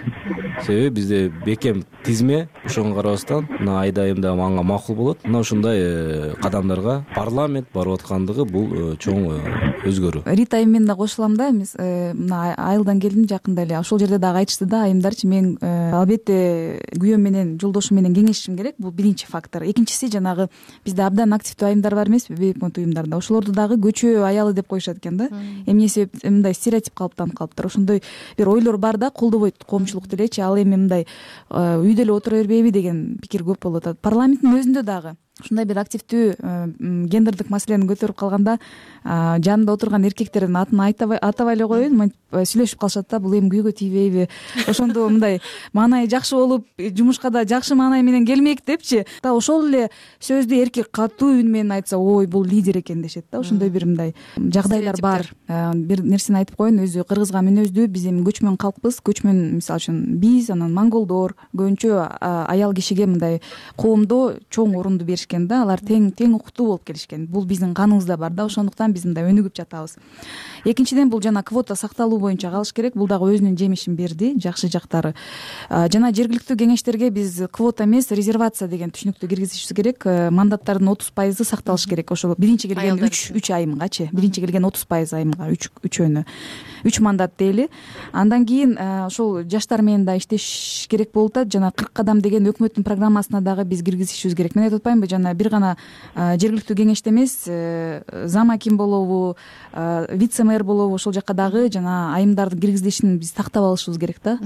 Себеби бизде бекем тизме, ошого карабастан мына айдайым да мага макул болот. Мына ушундай кадамдарга парламент барып аткандыгы бул чоң өзгөрүү. Рита айым мен да кошулам да, мына айылдан келдим жакында эле. Ошол жерде дагы айтышты да айымдарчы, мен албетте күйөөм менен, жолдошум менен кеңешишим керек. Бул биринчи фактор. Экинчиси жанагы бизде абдан активдүү айымдар бар эмеспи, бейөкмөт уюмдарда. Ошолорду дагы көчө аялы деп коюшат экен да. Эмне себеп мындай стереотип калыптанып калыптыр. Ошондой бир ойлор бар да, колдобойт коомчулук делечи. Ал эми мындай үйдө эле отура бербейби деген пикир көп болуп атат. Парламенттин өзүндө дагы ушундай бир активдүү гендердик маселени көтөрүп калганда жанында отурган эркектердин атын атабай эле коеюн, сүйлөшүп калышат да, бул эми күйгө тийбейби, ошондо мындай маанайы жакшы болуп, жумушка да жакшы маанай менен келмек депчи. Ошол эле сөздү эркек катуу үн менен айтса, ой бул лидер экен дешет да. Ошондой бир мындай жагдайлар бар. Бир нерсени айтып коеюн, өзү кыргызга мүнөздүү, биз эми көчмөн калкпыз. Көчмөн мисалы үчүн биз, анан монголдор көбүнчө аял кишиге мындай коомдо чоң орунду беришкен келишкен да, алар тең укуктуу болуп келишкен. Бул биздин каныбызда бар да, ошондуктан биз мындай өнүгүп жатабыз. Экинчиден, бул жана квота сакталуу боюнча калыш керек. Бул дагы өзүнүн жемишин берди, жакшы жактары. Жана жергиликтүү кеңештерге биз квота эмес, резервация деген түшүнүктү киргизишибиз керек. Мандаттардын 30% сакталыш керек. Ошол биринчи келген 3 айымгачы, биринчи келген 30% айымга 3 мандат дейли. Андан кийин ошол жаштар менен да иштеш керек болуп атат. Жана 40 кадам деген өкмөттүн программасына дагы биз киргизишибиз керек. Мен айтып атпаймынбы, жана бир гана жергиликтүү кеңеште эмес, зам аким болобу, вице-мэр болобу, ошол жака дагы жана айымдардын киргизилишин биз тактап алышыбыз керек да.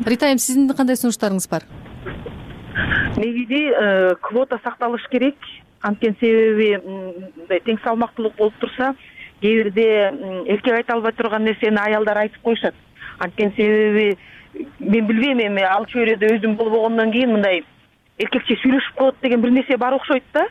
Рита айым, сиздин кандай сунуштарыңыз бар? Негизи квота сакталыш керек. Анткени себеби мындай тең салмактуулук болуп турса, кээ бирде эркек айта албай турган нерсени аялдар айтып коюшат. Анткени себеби мен билбейм, эми ал чөйрөдө өзүм болбогондон кийин мындай эркекче сүйлөшүп коет деген бир нерсе бар окшойт да.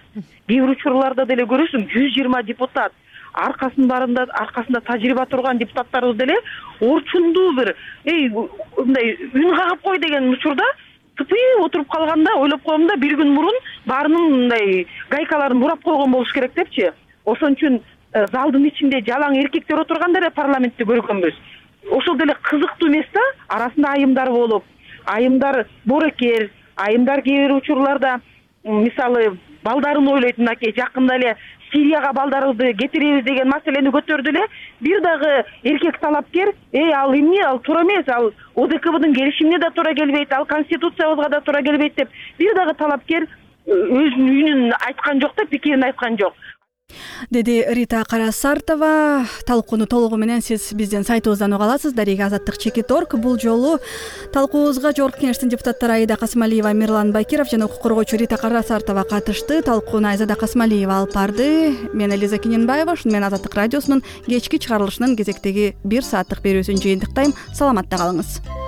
Кээ бир учурларда деле көрөсүң, 120 депутат, аркасында тажрыйба турган депутаттарыбыз деле орчундуу бир мындай үн кагып кой деген учурда тыпый отуруп калганда ойлоп коем да, бир күн мурун баарынын мындай гайкаларын бурап койгон болуш керек депчи. Ошон үчүн залдын ичинде жалаң эркектер отурганда эле парламентти көргөнбүз. Ошол деле кызыктуу эмес да, арасында айымдар болуп, айымдар боорекер, айымдар кээ бир учурларда мисалы балдарын ойлойт, мынакей жакында эле Сирияга балдарыбызды кетиребиз деген маселени көтөрдү эле. Бир дагы эркек талапкер, ал эмне, ал туура эмес, ал ОДКБдын келишимине да туура келбейт, ал конституциябызга да туура келбейт деп бир дагы талапкер өзүнүн үнүн айткан жок да, пикирин айткан жок, деди Рита Карасартова. Талкууну толугу менен сиз биздин сайтыбыздан уга аласыз. Дарига Азаттык.org. Бул жолу талкуубузга Жогорку Кеңештин депутаттары Аида Касымалиева, Мирлан Бакиров жана укук коргоочу Рита Карасартова катышты. Талкууну Айзада Касымалиева алып барды. Мен Элиза Киненбаева. Ушуну менен Азаттык радиосунун кечки чыгарылышынын кезектеги 1 сааттык берүүсүн жыйынтыктайм. Саламатта калыңыз.